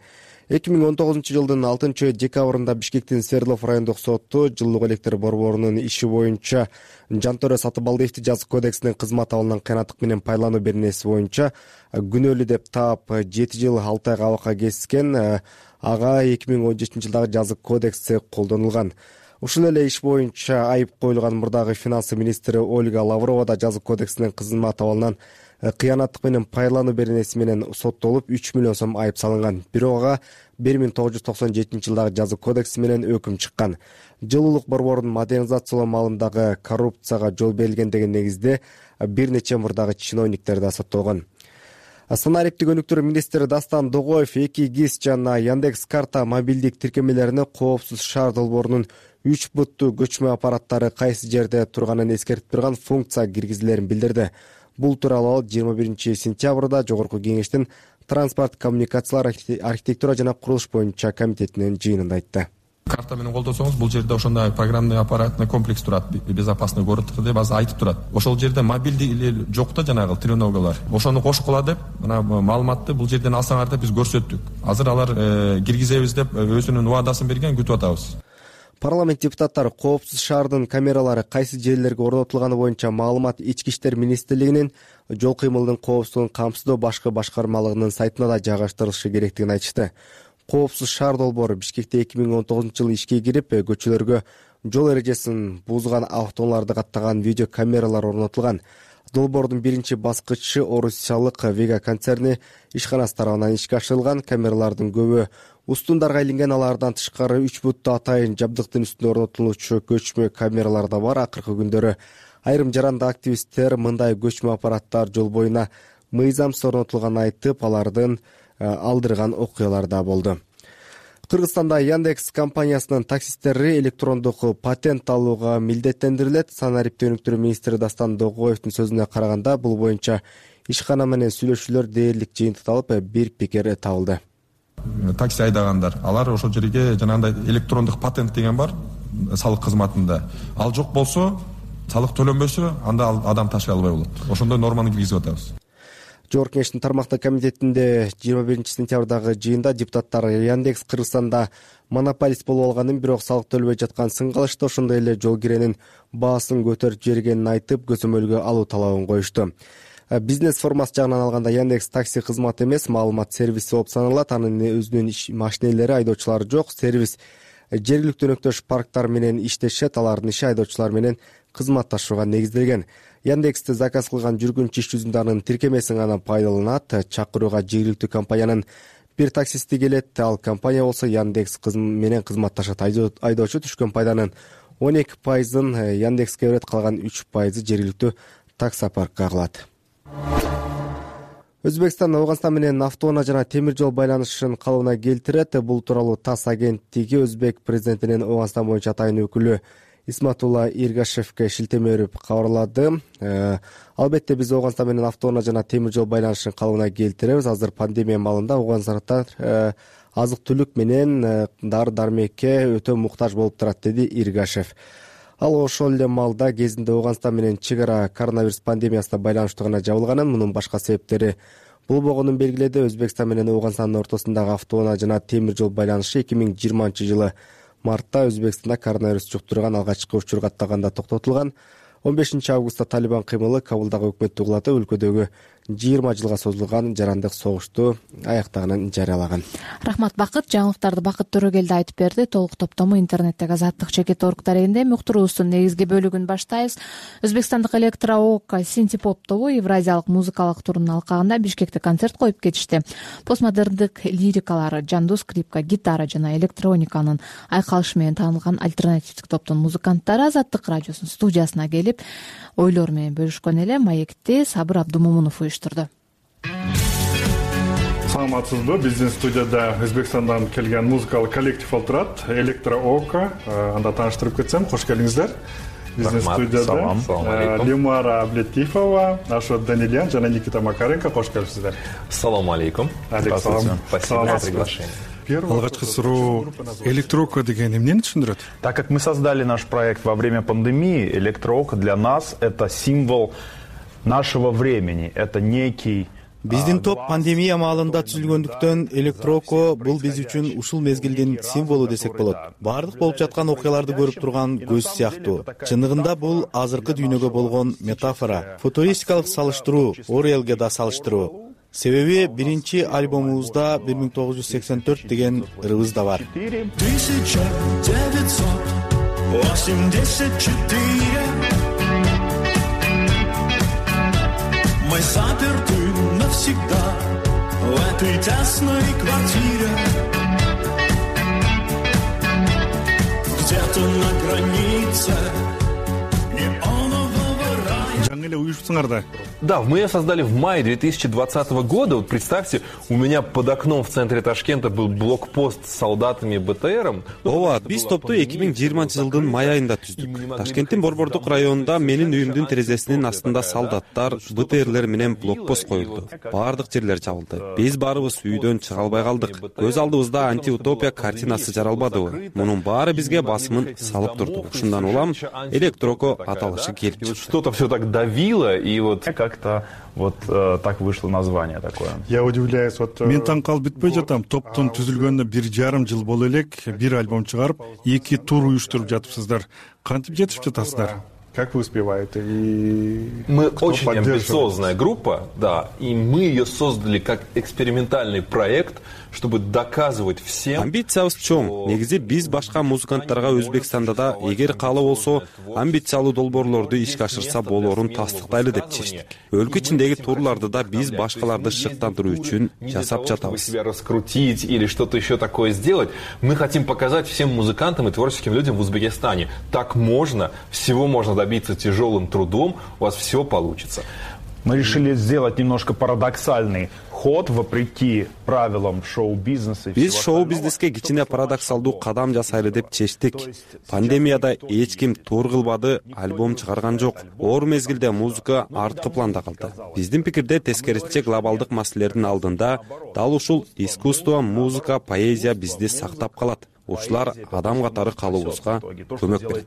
2019 жылдын 6 декабрында Бишкектин Свердлов райондук соту жылуулук электр борборунун иши боюнча Жантөрө Сатыбалиевди жазык кодексинин кызмат абалынан кыянаттык менен пайлануу беренеси боюнча күнөөлүү деп таап 7 жыл 6 ай абакка кескен. Ага 2017 жылдагы жазык кодекси колдонулган. Ушул эле иш боюнча айып коюлган мурдагы финансы министри Ольга Лаврова да жазык кодексинин кызмат абалынан кыянаттык менен пайлануу беренеси менен соттолуп 3 миллион сом айып салынган. Бирок ага 1997 жылдагы жазык кодекси менен өкүм чыккан. Жылуулук борборун модернизациялоо маалындагы коррупцияга жол берилген деген негизде бир нече мурдагы чиновниктер да соттолгон. Санариптик өнүктүрүү министри Дастан Догоев 2 ГИС жана Яндекс карта мобилдик тиркемелерине коопсуз шаар долбоорунун 3 буттуу көчмө аппараттары кайсы жерде турганын эскертип турган функция киргизилерин билдирди. Бул тууралуу 21 сентябрда Жогорку кеңештин транспорт, коммуникациялар, архитектура жана курулуш боюнча комитетинин жыйынында айтты. Карта менен колдосоңуз, бул жерде ошондой программный аппаратный комплекс турат, безопасный город деп азыр айтып турат. Ошол жерде мобилдик жок да, жанагы треногалар. Ошону кошкула деп, мына маалыматты бул жерден алсаңар деп биз көрсөттүк. Азыр алар киргизебиз деп өзүнүн убадасын берген, күтүп атабыз. Парламент депутаттары коопсуз шаардын камералары кайсы жерлерге орнотулганы боюнча маалымат Ички иштер министрлигинин жол кыймылдын коопсуздугун камсыздоо башкы башкармалыгынын сайтына да жайгаштырылышы керектигин айтышты. Коопсуз шаар долбоору Бишкекте 2019 жылы ишке кирип, көчөлөргө жол эрежесин бузган автоунааларды каттаган видео камералар орнотулган. Долбоордун биринчи баскычы Орусиялык Вега концерни ишканасы тарабынан ишке ашырылган. Камералардын көбү устундарга илинген, алардан тышкары 3 буттуу атайын жабдыктын үстүнө орнотулуучу көчмө камералар да бар. Акыркы күндөрү айрым жаранды активисттер мындай көчмө аппараттар жол боюна мыйзамсыз орнотулганын айтып, алардын алдырган окуялар да болду. Кыргызстанда Яндекс компаниясынын таксисттери электрондук патент алууга милдеттендирилет. Санариптик өнүктүрүү министри Дастан Догоевдин сөзүнө караганда, бул боюнча ишкана менен сүйлөшүүлөр дээрлик жыйынтыкталып, бир пикир табылды. Такси айдагандар, алар ошол жерге жанагындай электрондук патент деген бар салык кызматында. Ал жок болсо, салык төлөнбөсө, анда адам ташый албай болот. Ошондой норманы киргизип атабыз. Жогорку кеңештин тармактык комитетинде 21 сентябрдагы жыйында депутаттар Яндекс Кыргызстанда монополист болуп алганын, бирок салык төлөбөй жатканын сынгалышты. Ошондой эле жол киренин баасын көтөрүп жибергенин айтып, көзөмөлгө алуу талабын коюшту. Бизнес формасы жагынан алганда Яндекс такси кызматы эмес, маалымат сервиси болуп саналат. Анын өзүнүн машинелери, айдоочулары жок. Сервис жергиликтүү өнөктөш парктар менен иштешет. Алардын иши айдоочулар менен кызматташууга негизделген. Яндексти заказ кылган жүргүнчү иш жүзүндө анын тиркемесин гана пайдаланат. Чакырууга жергиликтүү компаниянын бир таксисти келет. Ал компания болсо Яндекс менен кызматташат. Айдоочу түшкөн пайданын 12%-ын Яндекске берет, калган 3% жергиликтүү таксопаркка кылат. Өзбекстан Ауганстан менен автоунаа жана темир жол байланышын калыбына келтирет. Бул тууралуу ТАСС агенттиги Өзбек президентинин Ауганстан боюнча атайын өкүлү Исматулла Иргашевке шилтеме берип кабарлады. Албетте биз Ауганстан менен автоунаа жана темир жол байланышын калыбына келтиребиз. Азыр пандемия маалында ауганстандыктар азык-түлүк менен дары-дармекке өтө муктаж болуп турат, деди Иргашев. Ал ошол эле маалда кезинде Ауганстан менен чек ара коронавирус пандемиясына байланыштуу гана жабылганын, мунун башка себептери болбогонун белгиледи. Өзбекстан менен Ауганстандын ортосундагы автоунаа жана темир жол байланышы 2020-жылы мартта Өзбекстанда коронавирус жуктурган алгачкы учур каттаганда токтотулган. 15 августта Талибан кыймылы Кабулдагы өкмөттү кулатып, өлкөдөгү 20 жылга созулган жарандык согушту аяктаганын жарыялаган. Рахмат Бакыт. Жаңылыктарды Бакыт Төрөгелди айтып берди. Толук топтому интернеттеги Азаттык чекит орг дарегинде. Муктуруубуздун негизги бөлүгүн баштайбыз. Өзбекстандык электроокка Синтепоп тобу Евразиялык музыкалык турунун алкагында Бишкекте концерт коюп кетишти. Постмодерндик лирикалары, жандуу скрипка, гитара жана электрониканын айкалышы менен таанылган альтернативдик топтун музыканттары Азаттык радиосунун студиясына келип ойлор менен бөлүшкөн эле. Маекти Сабыр Абдумомунов уюштурду. Саламатсызбы? Биздин студияда Өзбекстандан келген музыкалык коллектив олтурат. Электроокко. Анда тааныштырып кетсем, кош келиңиздер. Биздин студияда Лимара Аблетифова, Ашот Данильян жана Никита Макаренко. Кош келипсиздер. Салам алейкум. Спасибо за приглашение. Алгачкы суроо, электроокко деген эмнени түшүндүрөт? Так как мы создали наш проект во время пандемии, электроокко для нас это символ нашего времени. Это некий Биздин топ пандемия маалында түзүлгөндүктөн электроокко бул биз үчүн ушул мезгилдин символу десек болот. Бардык болуп жаткан окуяларды көрүп турган көз сыяктуу. Чындыгында бул азыркы дүйнөгө болгон метафора, футуристикалык салыштыруу, Орелге да салыштыруу. Себеби биринчи альбомубузда 1984 деген ырыбыз да бар. 1984 Мы заперты навсегда в этой тесной квартире. Где-то на границе неонового рая. Жаңы эле уюшсуңар да. Да, мы ее создали в мае 2020 года. Вот представьте, у меня под окном в центре Ташкента был блокпост с солдатами БТРом. Ооба, биз топту 2020-жылдын май айында түздүк. Ташкенттин Борбордук районунда менин үйүмдүн терезесинин астында солдаттар, БТРлер менен блокпост коюлду. Бардык жерлер жабылды. Биз барыбыз үйдөн чыга албай калдык. Көз алдыбызда антиутопия картинасы жаралбадыбы? Мунун баары бизге басымын салып турду. Ушундан улам электроокко аталышы келип чыкты. Что-то все так давило, и вот как-то вот так вышло название такое. Я удивляюсь, вот мен таң калып бүтпөй жатам. Топтун түзүлгөнүнө 1,5 жыл боло элек, бир альбом чыгарып, 2 тур уюштуруп жатыпсыздар. Кантип жетип жатасыздар? Как вы успеваете? И мы очень амбициозная группа, да, и мы ее создали как экспериментальный проект, чтобы доказывать всем. Амбициябыз чоң. Негизи биз башка музыканттарга Өзбекстанда да эгер каалоо болсо, амбициялуу долбоорлорду ишке ашырса болоорун тастыктайлы деп чечтик. Өлкө ичиндеги турларды да биз башкаларды шыктандыруу үчүн жасап жатабыз. Себя раскрутить или что-то еще такое сделать. Мы хотим показать всем музыкантам и творческим людям в Узбекистане. Так можно, всего можно добиться тяжелым трудом, у вас все получится. Мы решили сделать немножко парадоксальный ход вопреки правилам шоу-бизнеса. Биз шоу-бизнеске кичине парадоксалдуу кадам жасайлы деп чечтик. Пандемияда эч ким тур кылбады, альбом чыгарган жок. Оор мезгилде музыка арткы планда калды. Биздин пикирде тескерисинче глобалдык маселелердин алдында дал ушул искусство, музыка, поэзия бизди сактап калат. Ушулар адам катары калуубузга көмөк берет.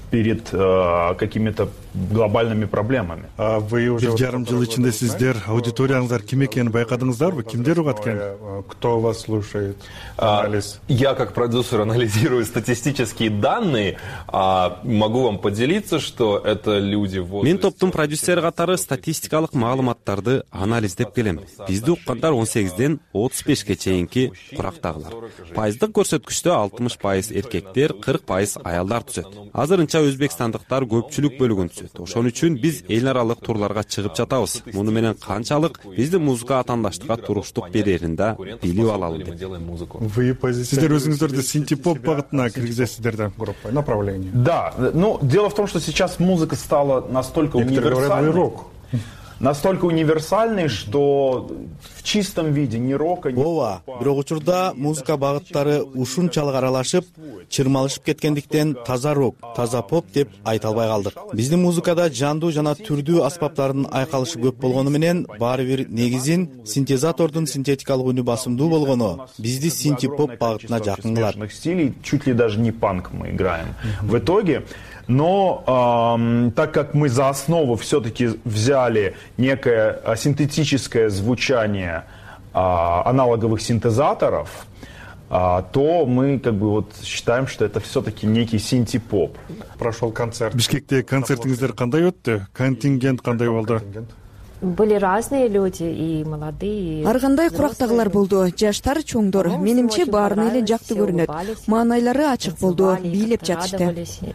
Перед какими-то глобальными проблемами. А вы уже 1,5 жыл ичинде сиздер аудиторияңыздар ким экенин байкадыңыздарбы? Кимдер угат экен? Кто вас слушает? Анализ. Я как продюсер анализирую статистические данные, могу вам поделиться, что это люди в возрасте. Мен топтун продюсери катары статистикалык маалыматтарды анализдеп келем. Бизди уккандар 18ден 35ке чейинки курактагылар. Пайыздык көрсөткүчтө 60% эркектер, 40% аялдар түзөт. Азырынча канча өзбекстандыктар көпчүлүк бөлүгүн түзөт. Ошон үчүн биз эл аралык турларга чыгып жатабыз. Муну менен канчалык биздин музыка атаандаштыкка туруштук берерин да билип алалы деп. Сиздер өзүңүздөрдү синтепоп багытына киргизесиздер да, группа, направление. Да, ну, дело в том, что сейчас музыка стала настолько универсальный, что в чистом виде ни рока, ни... Ооба, бирок учурда музыка багыттары ушунчалык аралашып, чырмалышып кеткендиктен таза рок, таза поп деп айта албай калдык. Биздин музыкада жандуу жана түрдүү аспаптардын айкалышы көп болгону менен баары бир негизин синтезатордун синтетикалык үнү басымдуу болгону бизди синтепоп багытына жакын кылат. Чуть ли даже не панк мы играем. В итоге, но так как мы за основу все-таки взяли некое синтетическое звучание аналоговых синтезаторов, то мы как бы вот считаем, что это все-таки некий синти-поп. Прошел концерт. Бишкекте концертиңиздер кандай өттү? Контингент кандай болду? Были разные люди, и молодые. Ар кандай курактагылар болду, жаштар, чоңдор. Менимче баарына эле жакты көрүнөт. Маанайлары ачык болду, бийлеп жатышты.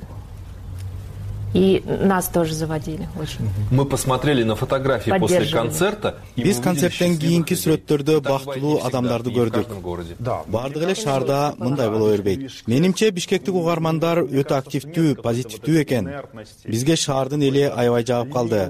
И нас тоже заводили очень. Мы посмотрели на фотографии после концерта. Биз концерттен кийинки сүрөттөрдө бактылуу адамдарды көрдүк. Бардык эле шаарда мындай боло бербейт. Менимче бишкектик угармандар өтө активдүү, позитивдүү экен. Бизге шаардын эли аябай жагып калды.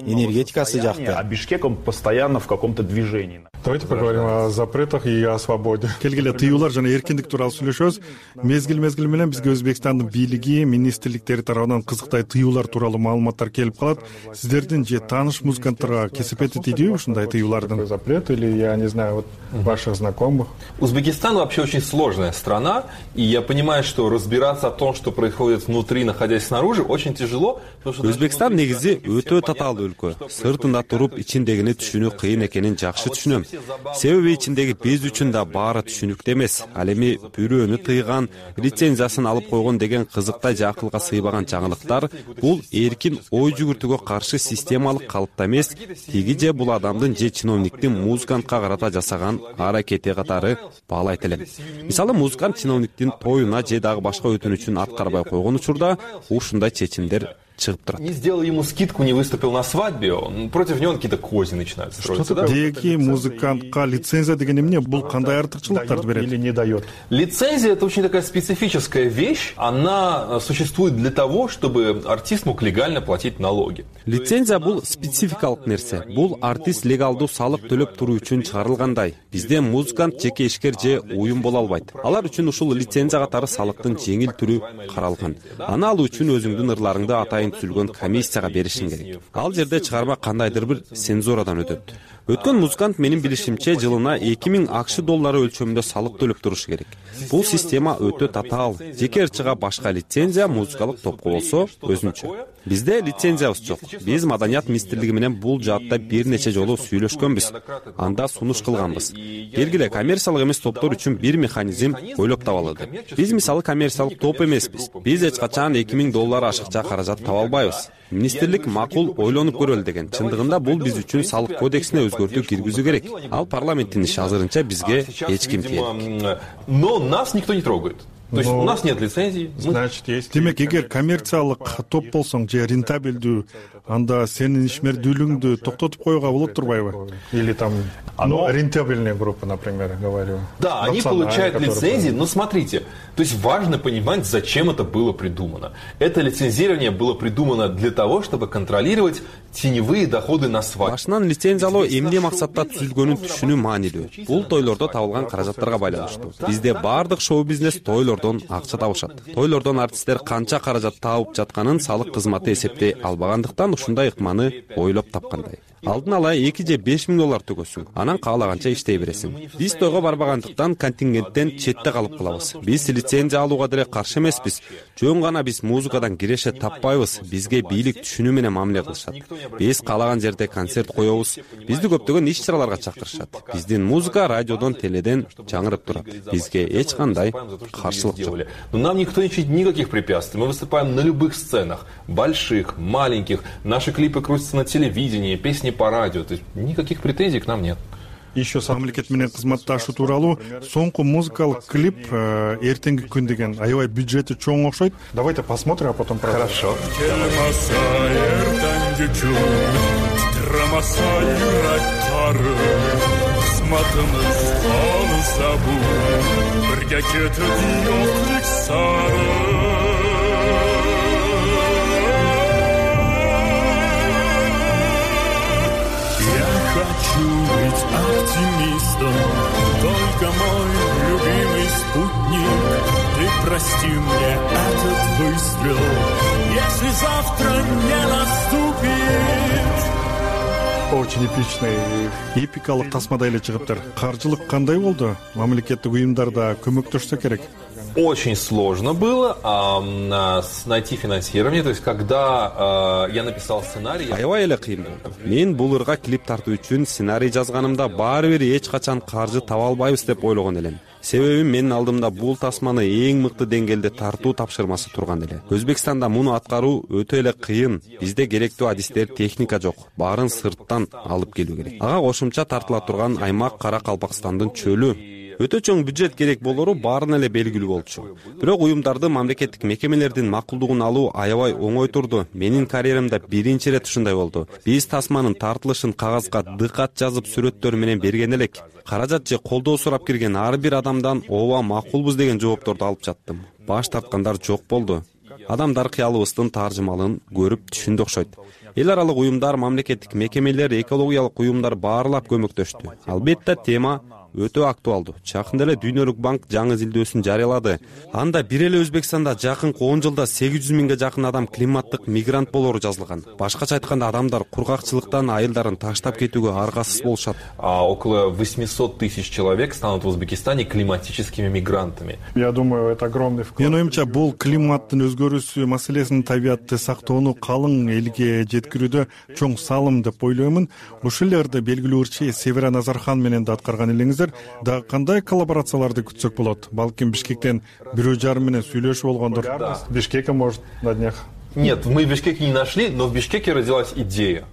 Энергетикасы жакты. А Бишкек он постоянно в каком-то движении. Давайте поговорим о запретах и о свободе. Келгиле тыюулар жана эркиндик тууралуу сүйлөшөбүз. Мезгил менен бизге Өзбекстандын бийлиги, министрликтери тарабынан кызыктай тыюулар тууралуу маалыматтар келип калат. Сиздердин же тааныш музыканттарга кесепети тийдиби ушундай тыюулардын? Запрет или, я не знаю, вот ваших знакомых? Узбекистан вообще очень сложная страна, и я понимаю, что разбираться о том, что происходит внутри, находясь снаружи, очень тяжело. Өзбекстан негизи өтө татаалдуу өлкө. Сыртында туруп ичиндегини түшүнүү кыйын экенин жакшы түшүнөм. Себеби ичиндеги биз үчүн да баары түшүнүктүү эмес. Ал эми бирөөнү тыйган, лицензиясын алып койгон деген кызыктай же акылга сыйбаган жаңылыктар бул эркин ой жүгүртүүгө каршы системалык калыпта эмес, тиги же бул адамдын же чиновниктин музыкантка карата жасаган аракети катары баалайт элем. Мисалы, музыкант чиновниктин тоюна же дагы башка өтүнүчүн аткарбай койгон учурда ушундай чечимдер чыгып турат. Не сделал ему скидку, не выступил на свадьбе, против него какие-то козни начинают строиться. Деги музыкантка лицензия деген эмне? Бул кандай артыкчылыктарды берет или не дает? Лицензия — это очень такая специфическая вещь. Она существует для того, чтобы артист мог легально платить налоги. Лицензия бул спецификалык нерсе. Бул артист легалдуу салык төлөп туруу үчүн чыгарылгандай. Бизде музыкант жеке ишкер же уюм боло албайт. Алар үчүн ушул лицензия катары салыктын жеңил түрү каралган. Аны алуу үчүн өзүңдүн ырларыңды атайын түзүлгөн комиссияга беришиң керек. Ал жерде чыгарма кандайдыр бир цензурадан өтөт. Өткөн музыкант менин билишимче жылына 2000 акш доллары өлчөмүндө салык төлөп турушу керек. Бул система өтө татаал. Жеке ырчыга башка лицензия, музыкалык топко болсо өзүнчө. Бизде лицензиябыз жок. Биз Маданият министрлиги менен бул жаатта бир нече жолу сүйлөшкөнбүз. Анда сунуш кылганбыз. Белгиле, коммерциялык эмес топтор үчүн бир механизм ойлоп табалы деп. Биз мисалы коммерциялык топ эмеспиз. Биз эч качан 2000 доллар ашыкча каражат таба албайбыз. Министрлик макул ойлонуп көрөлү деген. Чындыгында бул биз үчүн салык кодексине өзгөртүү киргизүү керек. Ал парламенттин иши, азырынча бизге эч ким келбейт. Но нас никто не трогает. То есть у нас нет лицензии. Значит, есть. Демек, эгер коммерциялык топ болсоң же рентабелдүү, анда сенин ишмердүүлүгүңдү токтотуп коюуга болот турбайбы? Или там рентабельная группа, например, говорю. Да, они получают лицензии, но смотрите, то есть важно понимать, зачем это было придумано. Это лицензирование было придумано для того, чтобы контролировать теневые доходы на свадьбе. Башынан лицензиялоо эмне максатта түзүлгөнүн түшүнүү маанилүү. Бул тойлордо табылган каражаттарга байланыштуу. Бизде баардык шоу-бизнес тойлордон акча табышат. Тойлордон артисттер канча каражат табып жатканын салык кызматы эсептей албагандыктан ушундай ыкманы ойлоп тапкандай. Алдын ала 2 же 5 миң доллар төгөсүң, анан каалаганча иштей бересиң. Биз тойго барбагандыктан контингенттен четте калып калабыз. Биз лицензия алууга деле каршы эмеспиз. Жөн гана биз музыкадан киреше таппайбыз. Бизге бийлик түшүнүү менен мамиле кылышат. Биз каалаган жерде концерт коебуз. Бизди көптөгөн иш-чараларга чакырышат. Биздин музыка радиодон, теледен жаңырып турат. Бизге эч кандай каршылык жок. Но нам никто не чинит никаких препятствий. Мы выступаем на любых сценах, больших, маленьких. Наши клипы крутятся на телевидении, песни по радио. То есть никаких претензий к нам нет. еще мамлекет менен кызматташуу тууралуу соңку музыкалык клип эртеңки күн деген аябай бюджети чоң окшойт. Давайте посмотрим, а потом продолжим. Хорошо. Келмаса эртеңки күн, титремаса юректери, кызматыбыз калса бул, бирге кетет жоктук сары. Хочу быть оптимистом, только мой любимый спутник. Ты прости мне этот выстрел, если завтра не наступит. Очень эпичный, эпикалык тасмада эле чыгыптыр. Каржылык кандай болду? Мамлекеттик уюмдарда көмөктөшсө керек. Очень сложно было найти финансирование. То есть, когда я написал сценарий... Аябай эле кыйын болду. Мен бул ырга клип тартуу үчүн сценарий жазганымда баары бир эч качан каржы таба албайбыз деп ойлогон элем. Себеби менин алдымда бул тасманы эң мыкты деңгээлде тартуу тапшырмасы турган эле. Өзбекстанда муну аткаруу өтө эле кыйын. Бизде керектүү адистер, техника жок. Баарын сырттан алып келүү керек. Ага кошумча тартыла турган аймак Кара Калпакстандын чөлү. Өтө чоң бюджет керек болору баарына эле белгилүү болчу. Бирок уюмдарды, мамлекеттик мекемелердин макулдугун алуу аябай оңой турду. Менин карьерамда биринчи ирет ушундай болду. Биз тасманын тартылышын кагазга дыкат жазып сүрөттөр менен берген элек. Каражат же колдоо сурап кирген ар бир адамдан ооба макулбуз деген жоопторду алып жаттым. Баш тарткандар жок болду. Адамдар кыялыбыздын таржымалын көрүп түшүндү окшойт. Эл аралык уюмдар, мамлекеттик мекемелер, экологиялык уюмдар баарлап көмөктөштү. Албетте тема өтө актуалдуу. Жакында эле Дүйнөлүк банк жаңы изилдөөсүн жарыялады. Анда бир эле Өзбекстанда жакынкы 10 жылда 800 миңге жакын адам климаттык мигрант болору жазылган. Башкача айтканда, адамдар кургакчылыктан айылдарын таштап кетүүгө аргасыз болушат. Около 800 тысяч человек станут в Узбекистане климатическими мигрантами. Я думаю, это огромный вклад. Менин оюмча, бул климаттын өзгөрүүсү маселесин, табиатты сактоону калың элге жеткирүүдө чоң салым деп ойлоймун. Ушул жерде белгилүү ырчы Севера Назархан менен да аткарган элеңиздер. Да кандай коллаборацияларды күтсөк болот? Балким Бишкектен бирөө жарым менен сүйлөшүп болгондур. Бишкекке, может, на днях. Нет, мы в Бишкеке не нашли, но в Бишкеке родилась идея.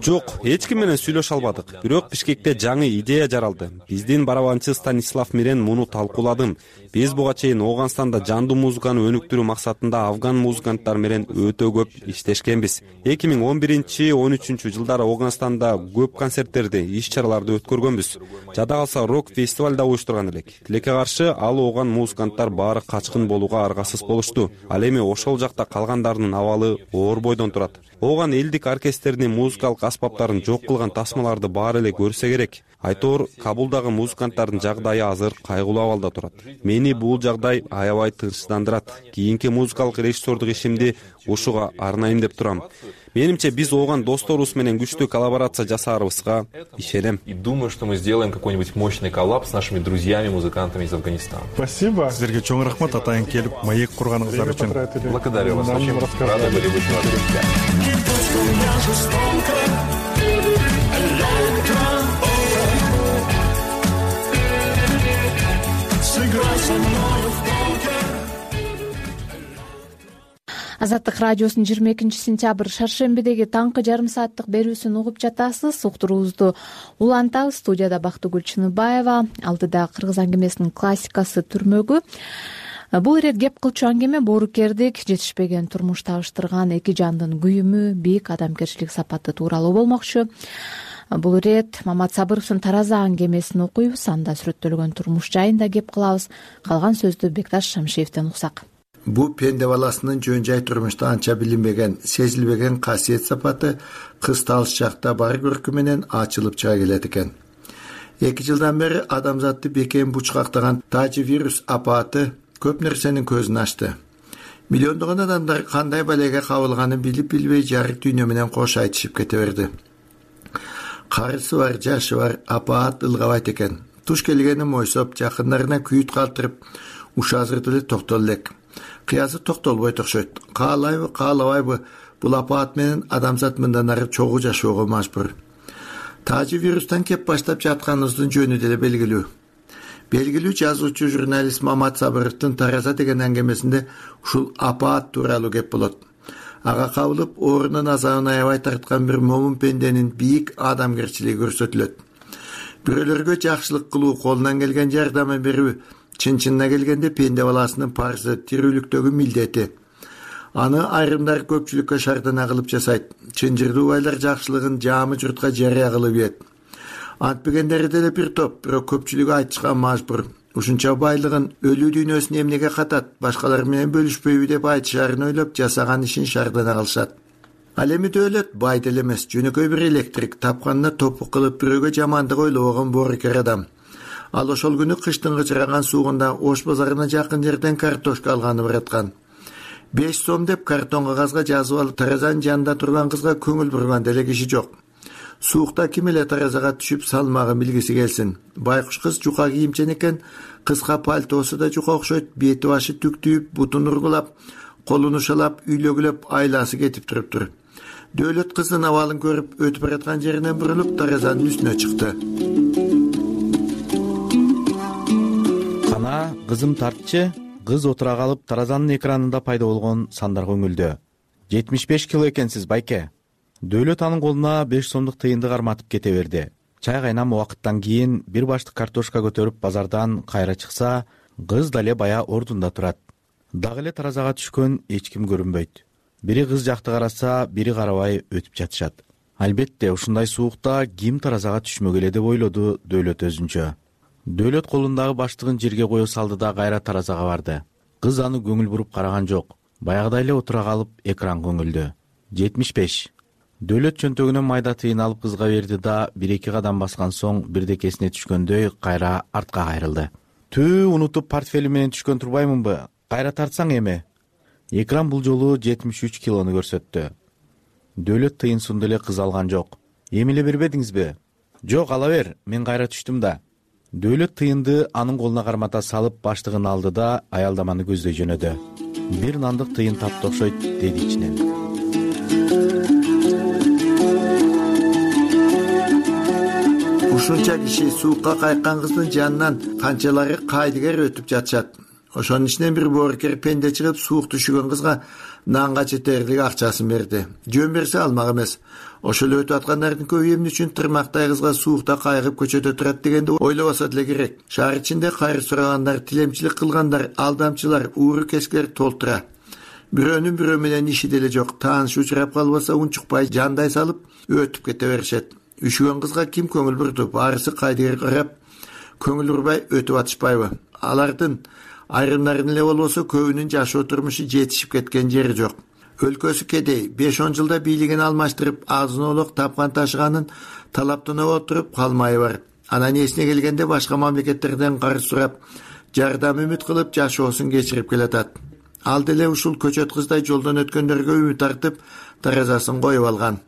Жок, эч ким менен сүйлөшө албадык. Бирок Бишкекте жаңы идея жаралды. Биздин барабанчы Станислав менен муну талкууладым. Биз буга чейин Ооганстанда жандуу музыканы өнүктүрүү максатында афган музыканттар менен өтө көп иштешкенбиз. 2011-13 жылдары Ооганстанда көп концерттерди, иш-чараларды өткөргөнбүз. Жада калса рок фестиваль да уюштурган элек. Тилекке каршы ал ооган музыканттар баары качкын болууга аргасыз болушту. Ал эми ошол жакта калгандарынын абалы оор бойдон турат. Ооган элдик оркестрдин музыкалык аспаптарын жок кылган тасмаларды баары эле көрсө керек. Айтор, Кабулдагы музыканттардын жагдайы азыр кайгылуу абалда турат. Мени бул жагдай аябай тынчсыздандырат. Кийинки музыкалык режиссердук ишимди ушуга арнайым деп турам. Менимче биз ооган досторубуз менен күчтүү коллаборация жасаарыбызга ишенем. И думаю, что мы сделаем какой-нибудь мощный коллаб с нашими друзьями-музыкантами из Афганистана. Спасибо. Силерге чоң рахмат, атайын келип маек курганыңыздар үчүн. Благодарю вас. Очень рады были быть вас друзья. Азаттык радиосунун 22-сентябрь шаршембидеги таңкы жарым сааттык берүүсүн угуп жатасыз. Уктуруубузду улантабыз. Студияда Бактыгүл Чыныбаева, алдыда кыргыз аңгемесинин классикасы Түрмөгү. Бул ирет кеп кылчу аңгеме боорукердик, жетишпеген турмуш табыштырган эки жандын күйүмү, бийик адамгерчилик сапаты тууралуу болмокчу. Бул ирет Мамат Сабыровдун Тараза аңгемесин окуйбуз, анда сүрөттөлгөн турмуш жайында кеп кылабыз. Калган сөздү Бекташ Шамшиевден уксак. Бу пенде баласынын жөн жай турмушта анча билинбеген, сезилбеген касиет сапаты кыз талыш жакта бар көркү менен ачылып чыга келет экен. 2 жылдан бери адамзатты бекем бучкактаган тажи вирус апаты көп нерсенин көзүн ачты. Миллиондогон адамдар кандай балеге кабылганын билип билбей жарык дүйнө менен кош айтышып кете берди. Карысы бар, жашы бар, апаат ылгабайт экен. Туш келгени мойсоп, жакындарына күйүт калтырып, ушазыр деле токтол элек. Кыязы токтолбой окшойт. Каалайбы, каалабайбы, бул апаат менен адамзат мындан ары чогуу жашоого мажбур. Тажи вирустан кеп баштап жатканыбыздын жөнү деле белгилүү. Белгилүү жазуучу журналист Мамат Сабыровдун Тараза деген аңгемесинде ушул апаат тууралуу кеп болот. Ага кабылып, оорунун азабын аябай тарткан бир момун пенденин бийик адамгерчилиги көрсөтүлөт. Бирөөлөргө жакшылык кылуу, колунан келген жардамын берүү чын-чынына келгенде пенде баласынын парзы, тирүүлүктөгү милдети. Аны айрымдар көпчүлүккө шардана кылып жасайт. Чынжырдуу байлар жакшылыгын жаамы журтка жарыя кылып ийет. Антпегендери деле бир топ, бирок көпчүлүгү айтышка мажбур. Ушунча байлыгын өлүү дүйнөсүн эмнеге катат, башкалар менен бөлүшпөйбү деп айтышаарын ойлоп, жасаган ишин шардана кылышат. Ал эми дөөлөт бай деле эмес, жөнөкөй бир электрик, тапканына топук кылып бирөөгө жамандык ойлобогон боорукер адам. Ал ошол күнү кыштын кычыраган суугунда Ош базарына жакын жерден картошка алганы бараткан. 5 сом деп картон кагазга жазып алып, таразанын жанында турган кызга көңүл бурган деле киши жок. Суукта ким эле таразага түшүп салмагын билгиси келсин. Байкуш кыз жука кийимчен экен, кыска пальтосу да жука окшойт, бети башы түктүйүп, бутун ургулап, колун ушалап, үйлөгүлөп айласы кетип туруптур. Дөөлөт кыздын абалын көрүп, өтүп бараткан жеринен бурулуп, таразанын үстүнө чыкты. Кана, кызым тартчы. Кыз отура калып, таразанын экранында пайда болгон сандарга үңүлдү. 75 кило экенсиз, байке. Дөөлөт анын колуна 5 сомдук тыйынды карматып кете берди. Чай кайнам убакыттан кийин бир баштык картошка көтөрүп базардан кайра чыкса, кыз дале бая ордунда турат. Дагы эле таразага түшкөн эч ким көрүнбөйт. Бири кыз жакты караса, бири карабай өтүп жатышат. Албетте, ушундай суукта ким таразага түшмөгөлө деп ойлоду Дөөлөт өзүнчө. Дөөлөт колундагы баштыгын жерге кое салды да кайра таразага барды. Кыз аны көңүл буруп караган жок. Баягыдай эле отура калып экранга үңүлдү. 75. Дөөлөт чөнтөгүнөн майда тыйын алып кызга берди да, 1-2 кадам баскан соң бирдекесине түшкөндөй кайра артка кайрылды. Түү, унутуп портфелим менен түшкөн турбаймынбы? Кайра тартсаң эми. Экран бул жолу 73 килону көрсөттү. Дөөлөт тыйынсунду эле кыз алган жок. Эми эле бербедиңизби? Жок, ала бер, мен кайра түштүм да. Дөөлөт тыйынды анын колуна кармата салып баштыгын алды да аялдаманы көздөй жөнөдү. Бир нандык тыйын тапты окшойт, деди ичинен. Ушунча киши суукка кайккан кыздын жанынан канчалары кайдыгер өтүп жатышат. Ошонун ичинен бир боорукер пенде чыгып, суук түшүгөн кызга нанга жетерлик акчасын берди. Жөн берсе алмак эмес. Ошол өтүп аткандардын көбү эмне үчүн тырмактай кызга суукта кайгып көчөдө турат дегенди ойлобосо деле керек. Шаар ичинде кайыр сурагандар, тилемчилик кылгандар, алдамчылар, ууру кескилер толтура. Бирөөнүн бирөө менен иши деле жок. Тааныш учурап калбаса унчукпай жандай салып өтүп кете беришет. Үшүгөн кызга ким көңүл бурду? Баарысы кайдыгер карап, көңүл урбай өтүп атышпайбы? Алардын айрымдарын эле болбосо көбүнүн жашоо турмушу жетишип кеткен жери жок. Өлкөсү кедей, 5-10 жылда бийлигин алмаштырып, азын-олук тапкан ташыганын талаптана отуруп калмайы бар. Анан эсине келгенде башка мамлекеттерден карыз сурап, жардам үмүт кылып жашоосун кечирип келатат. Ал деле ушул көчөт кыздай жолдон өткөндөргө үмүт артып, таразасын коюп алган.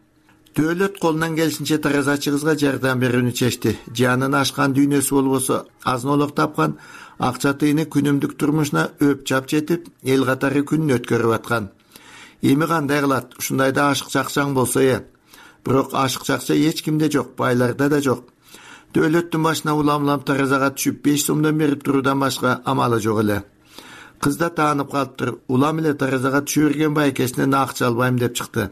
Дөөлөт колунан келишинче таразачы кызга жардам берүүнү чечти. Жанын ашкан дүйнөсү болбосо, азын-олук тапкан акча тыйыны күнүмдүк турмушуна өп чап жетип, эл катары күнүн өткөрүп аткан. Эми кандай кылат? Ушундайда ашык чакчаң болсо Бирок ашык чакча эч кимде жок, байларда да жок. Дөөлөттүн башына улам-улам таразага түшүп 5 сомдон берип туруудан башка амалы жок эле. Кыз да таанып калыптыр. Улам эле таразага түшө берген байкесинен акча албайм деп чыкты.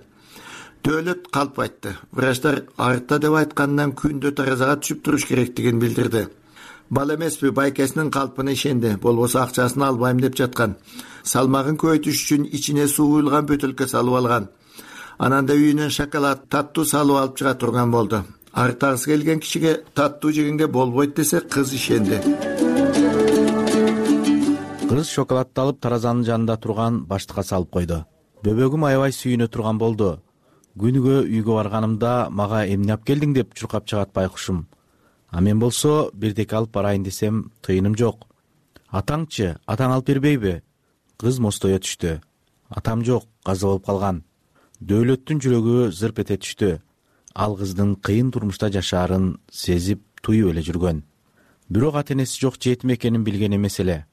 Дөөлөт калп айтты. Врачтар артта деп айткандан күндө таразага түшүп туруш керектигин билдирди. Бала эмеспи, байкесинин калпына ишенди. Болбосо акчасын албайм деп жаткан. Салмагын көбөйтүш үчүн ичине суу куюлган бөтөлкө салып алган. Анан да үйүнөн шоколад, таттуу салып алып чыга турган болду. Артагысы келген кишиге таттуу жегенге болбойт десе, кыз ишенди. Кыз шоколадты алып таразанын жанында турган баштыкка салып койду. Бөбөгүм аябай сүйүнө турган болду. Күнүгө үйгө барганымда мага эмне алып келдиң деп чуркап чыгат байкушум. А мен болсо бирдеке алып барайын десем тыйыным жок. Атаңчы, атаң алып бербейби? Кыз мостое түштү. Атам жок, каза болуп калган. Дөөлөттүн жүрөгү зырп эте түштү. Ал кыздын кыйын турмушта жашаарын сезип, туюп эле жүргөн. Бирок ата-энеси жок жетим экенин билген эмес эле.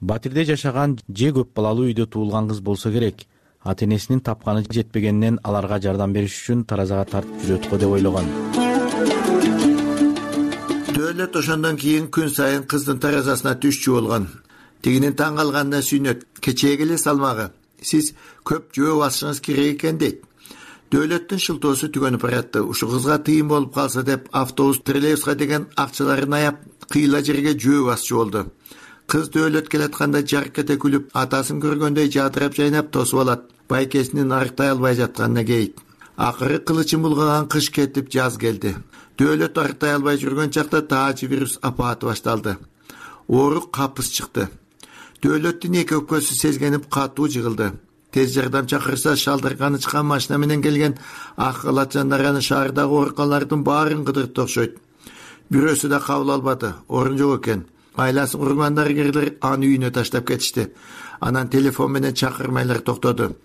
Батирде жашаган же көп балалуу үйдө туулган кыз болсо керек. Ата-энесинин тапканы жетпегенинен аларга жардам бериш үчүн таразага тартып жүрөт го деп ойлогон. Дөөлөт ошондон кийин күн сайын кыздын таразасына түшчү болгон. Тигинин таң калганына сүйнөт. Кечээги эле салмагы. Сиз көп жөө басышыңыз керек экен дейт. Дөөлөттүн шылтоосу түгөнүп баратты. Ушу кызга тыйын болуп калса деп автобус троллейбуска деген акчаларын аяп кыйла жерге жөө басчу болду. Кыз дөөлөт келатканда жарк кете күлүп, атасын көргөндөй жадырап жайнап тосуп алат. Байкесинин арыктай албай жатканына кейит. Акыры кылычын булгаган кыш кетип жаз келди. Дөөлөт арыктай албай жүргөн чакта таажы вирус апааты башталды. Оорук капыс чыкты. Дөөлөттүн эки өпкөсү сезгенип катуу жыгылды. Тез жардам чакырса шалдырганы чыккан машина менен келген ак калат жандар аны шаардагы ооруканалардын баарын кыдыртты окшойт. Бирөөсү да кабыл албады, орун жок экен. Айласын курган дарыгерлер аны үйүнө таштап кетишти. Анан телефон менен чакырмайлар токтоду.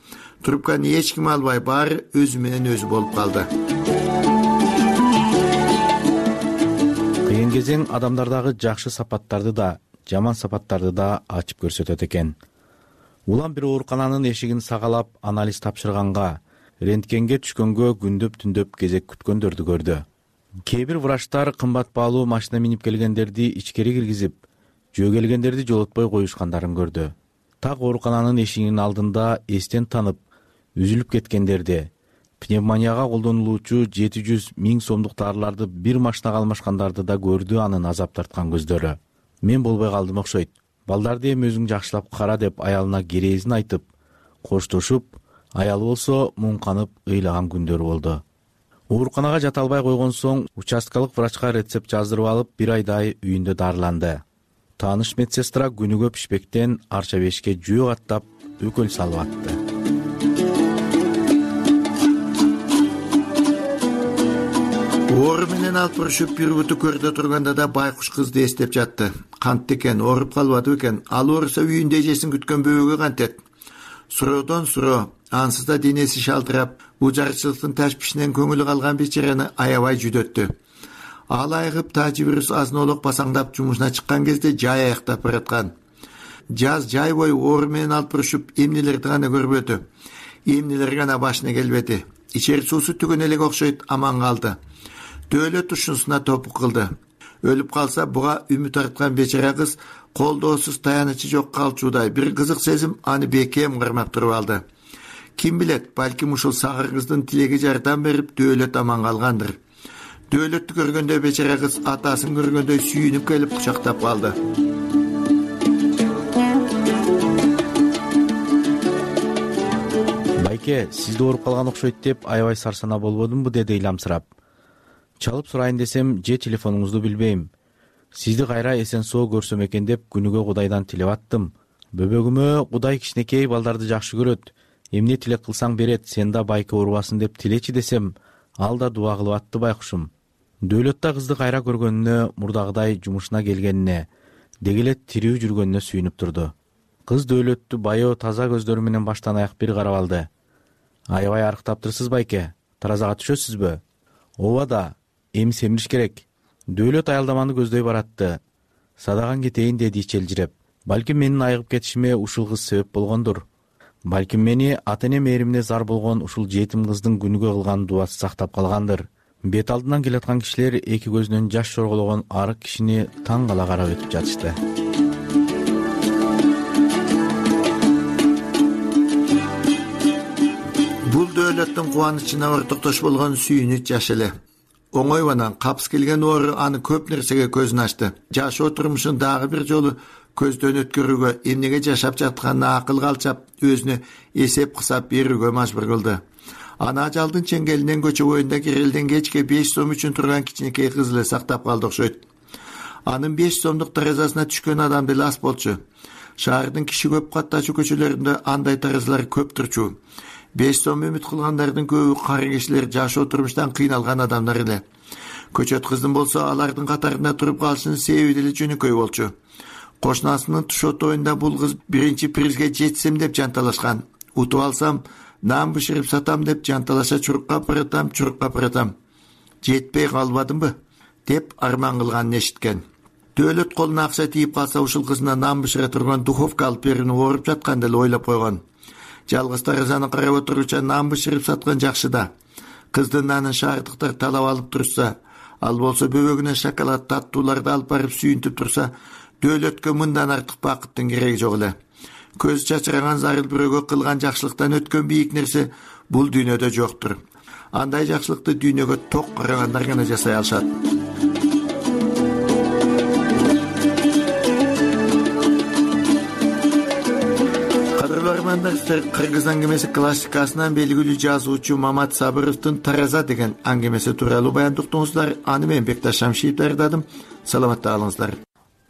Трубканы эч ким албай, баары өзү менен өзү болуп калды. Кыйын кезең адамдардагы жакшы сапаттарды да, жаман сапаттарды да ачып көрсөтөт экен. Улам бир оорукананын эшигин сагалап анализ тапшырганга, рентгенге түшкөнгө күндөп-түндөп кезек күткөндөрдү көрдү. Кээ бир врачтар кымбат баалуу машина минип келгендерди ичкери киргизип, жөө келгендерди жолотпой коюшкандарын көрдү. Так оорукананын эшигинин алдында эстен танып, үзүлүп кеткендерди, пневмонияга колдонулуучу 700 000 сомдук дарыларды бир машинага алмашкандарды да көрдү анын азап тарткан көздөрү. Мен болбой калдым окшойт. Балдарды эми өзүң жакшылап кара деп аялына керезин айтып, коштошуп, аялы болсо муңканып ыйлаган күндөрү болду. Ооруканага жата албай койгон соң участкалык врачка рецепт жаздырып алып, бир айдай үйүндө дарыланды. Тааныш медсестра күнүгө пишпектен арча бешке жөө каттап, өкөл салып атты. Оору менен алып урушуп бир буту көрдө турганда да байкуш кызды эстеп жатты. Кантты экен, ооруп калбады экен. Ал ооруса үйүндө эжесин күткөн бөбөгө кантет. Суроодон суроо, ансыз да денеси шалтырап, бул жарчылыктын ташпишинен көңүлү калган бечараны аябай жүдөттү. Ал айыгып таажы вирус азын-олок басаңдап жумушуна чыккан кезде жай аяктап бараткан. Жаз жай бою оору менен алып урушуп эмнелерди гана көрбөдү. Эмнелер гана башына келбеди. Ичер суусу түгөн элек окшойт, аман калды. Дөөлөт ушунусуна топук кылды. Өлүп калса буга үмүт арткан бечара кыз колдоосуз таянычы жок калчуудай бир кызык сезим аны бекем кармап туруп алды. Ким билет, балким ушул сагыр кыздын тилеги жардам берип дөөлөт аман калгандыр. Дөөлөттү көргөндө бечара кыз атасын көргөндөй сүйүнүп келип кучактап калды. Байке, сизди ооруп калган окшойт деп аябай сарсана болбодумбу, деди ыйламсырап. Чалып сурайын десем, же телефонуңузду билбейм. Сизди кайра эсен соо көрсөм экен деп күнүгө Кудайдан тилеп аттым. Бөбөгүмө Кудай кичинекей балдарды жакшы көрөт. Эмне тилек кылсаң берет, сен да байке оорубасын деп тилечи десем, ал да дуа кылып атты байкушум. Дөөлөттө кызды кайра көргөнүнө, мурдагыдай жумушуна келгенине, деги эле тирүү жүргөнүнө сүйүнүп турду. Кыз дөөлөттү байоо таза көздөрү менен баштан аяк бир карап алды. Аябай арыктаптырсыз байке, таразага түшөсүзбү? Ооба да. Эми семириш керек. Дөөлөт аялдаманы көздөй баратты. Садаган кетейин деди ичелжиреп. Балким менин айыгып кетишиме ушул кыз себеп болгондур. Балким мени ата-эне мээримине зар болгон ушул жетим кыздын күнүгө кылган дуасы сактап калгандыр. Бет алдынан келаткан кишилер эки көзүнөн жаш чоргологон арык кишини таң кала карап өтүп жатышты. Бул дөөлөттүн кубанычына ортоктош болгон сүйүнүч жаш эле. Оңойбанан капыс келген оору аны көп нерсеге көзүн ачты. Жашоо турмушун дагы бир жолу көздөн өткөрүүгө, эмнеге жашап жатканына акылга алчап, өзүнө эсеп кысап берүүгө мажбур кылды. Ана ажалдын чеңгелинен көчө боюнда кирелден кечке 5 сом үчүн турган кичинекей кыз эле сактап калды окшойт. Анын 5 сомдук таразасына түшкөн адам деле аз болчу. Шаардын киши көп каттачу көчөлөрүндө андай таразалар көп турчу. 5 сом үмүт кылгандардын көбү кары кишилер, жашоо турмуштан кыйналган адамдар эле. Көчөт кыздын болсо алардын катарында туруп калышынын себеби деле жөнөкөй болчу. Кошунасынын туш отоюнда бул кыз биринчи призге жетсем деп жанталашкан. Утуп алсам, нан бышырып сатам деп жанталаша чурукка апаратам. Жетпей калбадымбы деп арман кылганын эшиткен. Дөөлөт колуна акча тийип калса ушул кызына нан бышыра турган духовка алып берүүнү ооруп жаткан деле ойлоп койгон. Жалгыз таразаны карап отуруча нан бышырып саткан жакшы да. Кыздын нанын шаардыктар талап алып турса, ал болсо бөбөгүнө шоколад таттууларды алып барып сүйүнтүп турса, дөөлөткө мындан артык бакыттын кереги жок эле. Көз чачыраган зарыл бирөөгө кылган жакшылыктан өткөн бийик нерсе бул дүйнөдө жоктур. андай жакшылыкты дүйнөгө ток карагандар гана жасай алышат. Кыргыз аңгемеси классикасынан белгилүү жазуучу Мамат Сабыровдун Тараза деген аңгемеси тууралуу баяндуктуңуздар. Аны мен Бекташ Шамшиев даярдадым. Саламатта калыңыздар.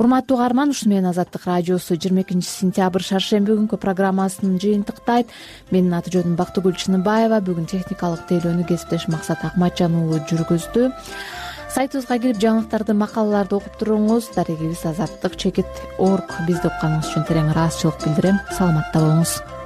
Урматтуу угарман, ушу менен Азаттык радиосу 22 сентябрь шаршемби күнкү программасын жыйынтыктайт. Менин аты жөнүм Бактыгүл Чыныбаева. Бүгүн техникалык тейлөөнү кесиптеш Максат Акматжан уулу жүргүздү. Сайтыбызга кирип жаңылыктарды, макалаларды окуп туруңуз. Дарегибиз азаттык чекит .org. Бизди укканыңыз үчүн терең ыраазычылык билдирем. Саламатта болуңуз.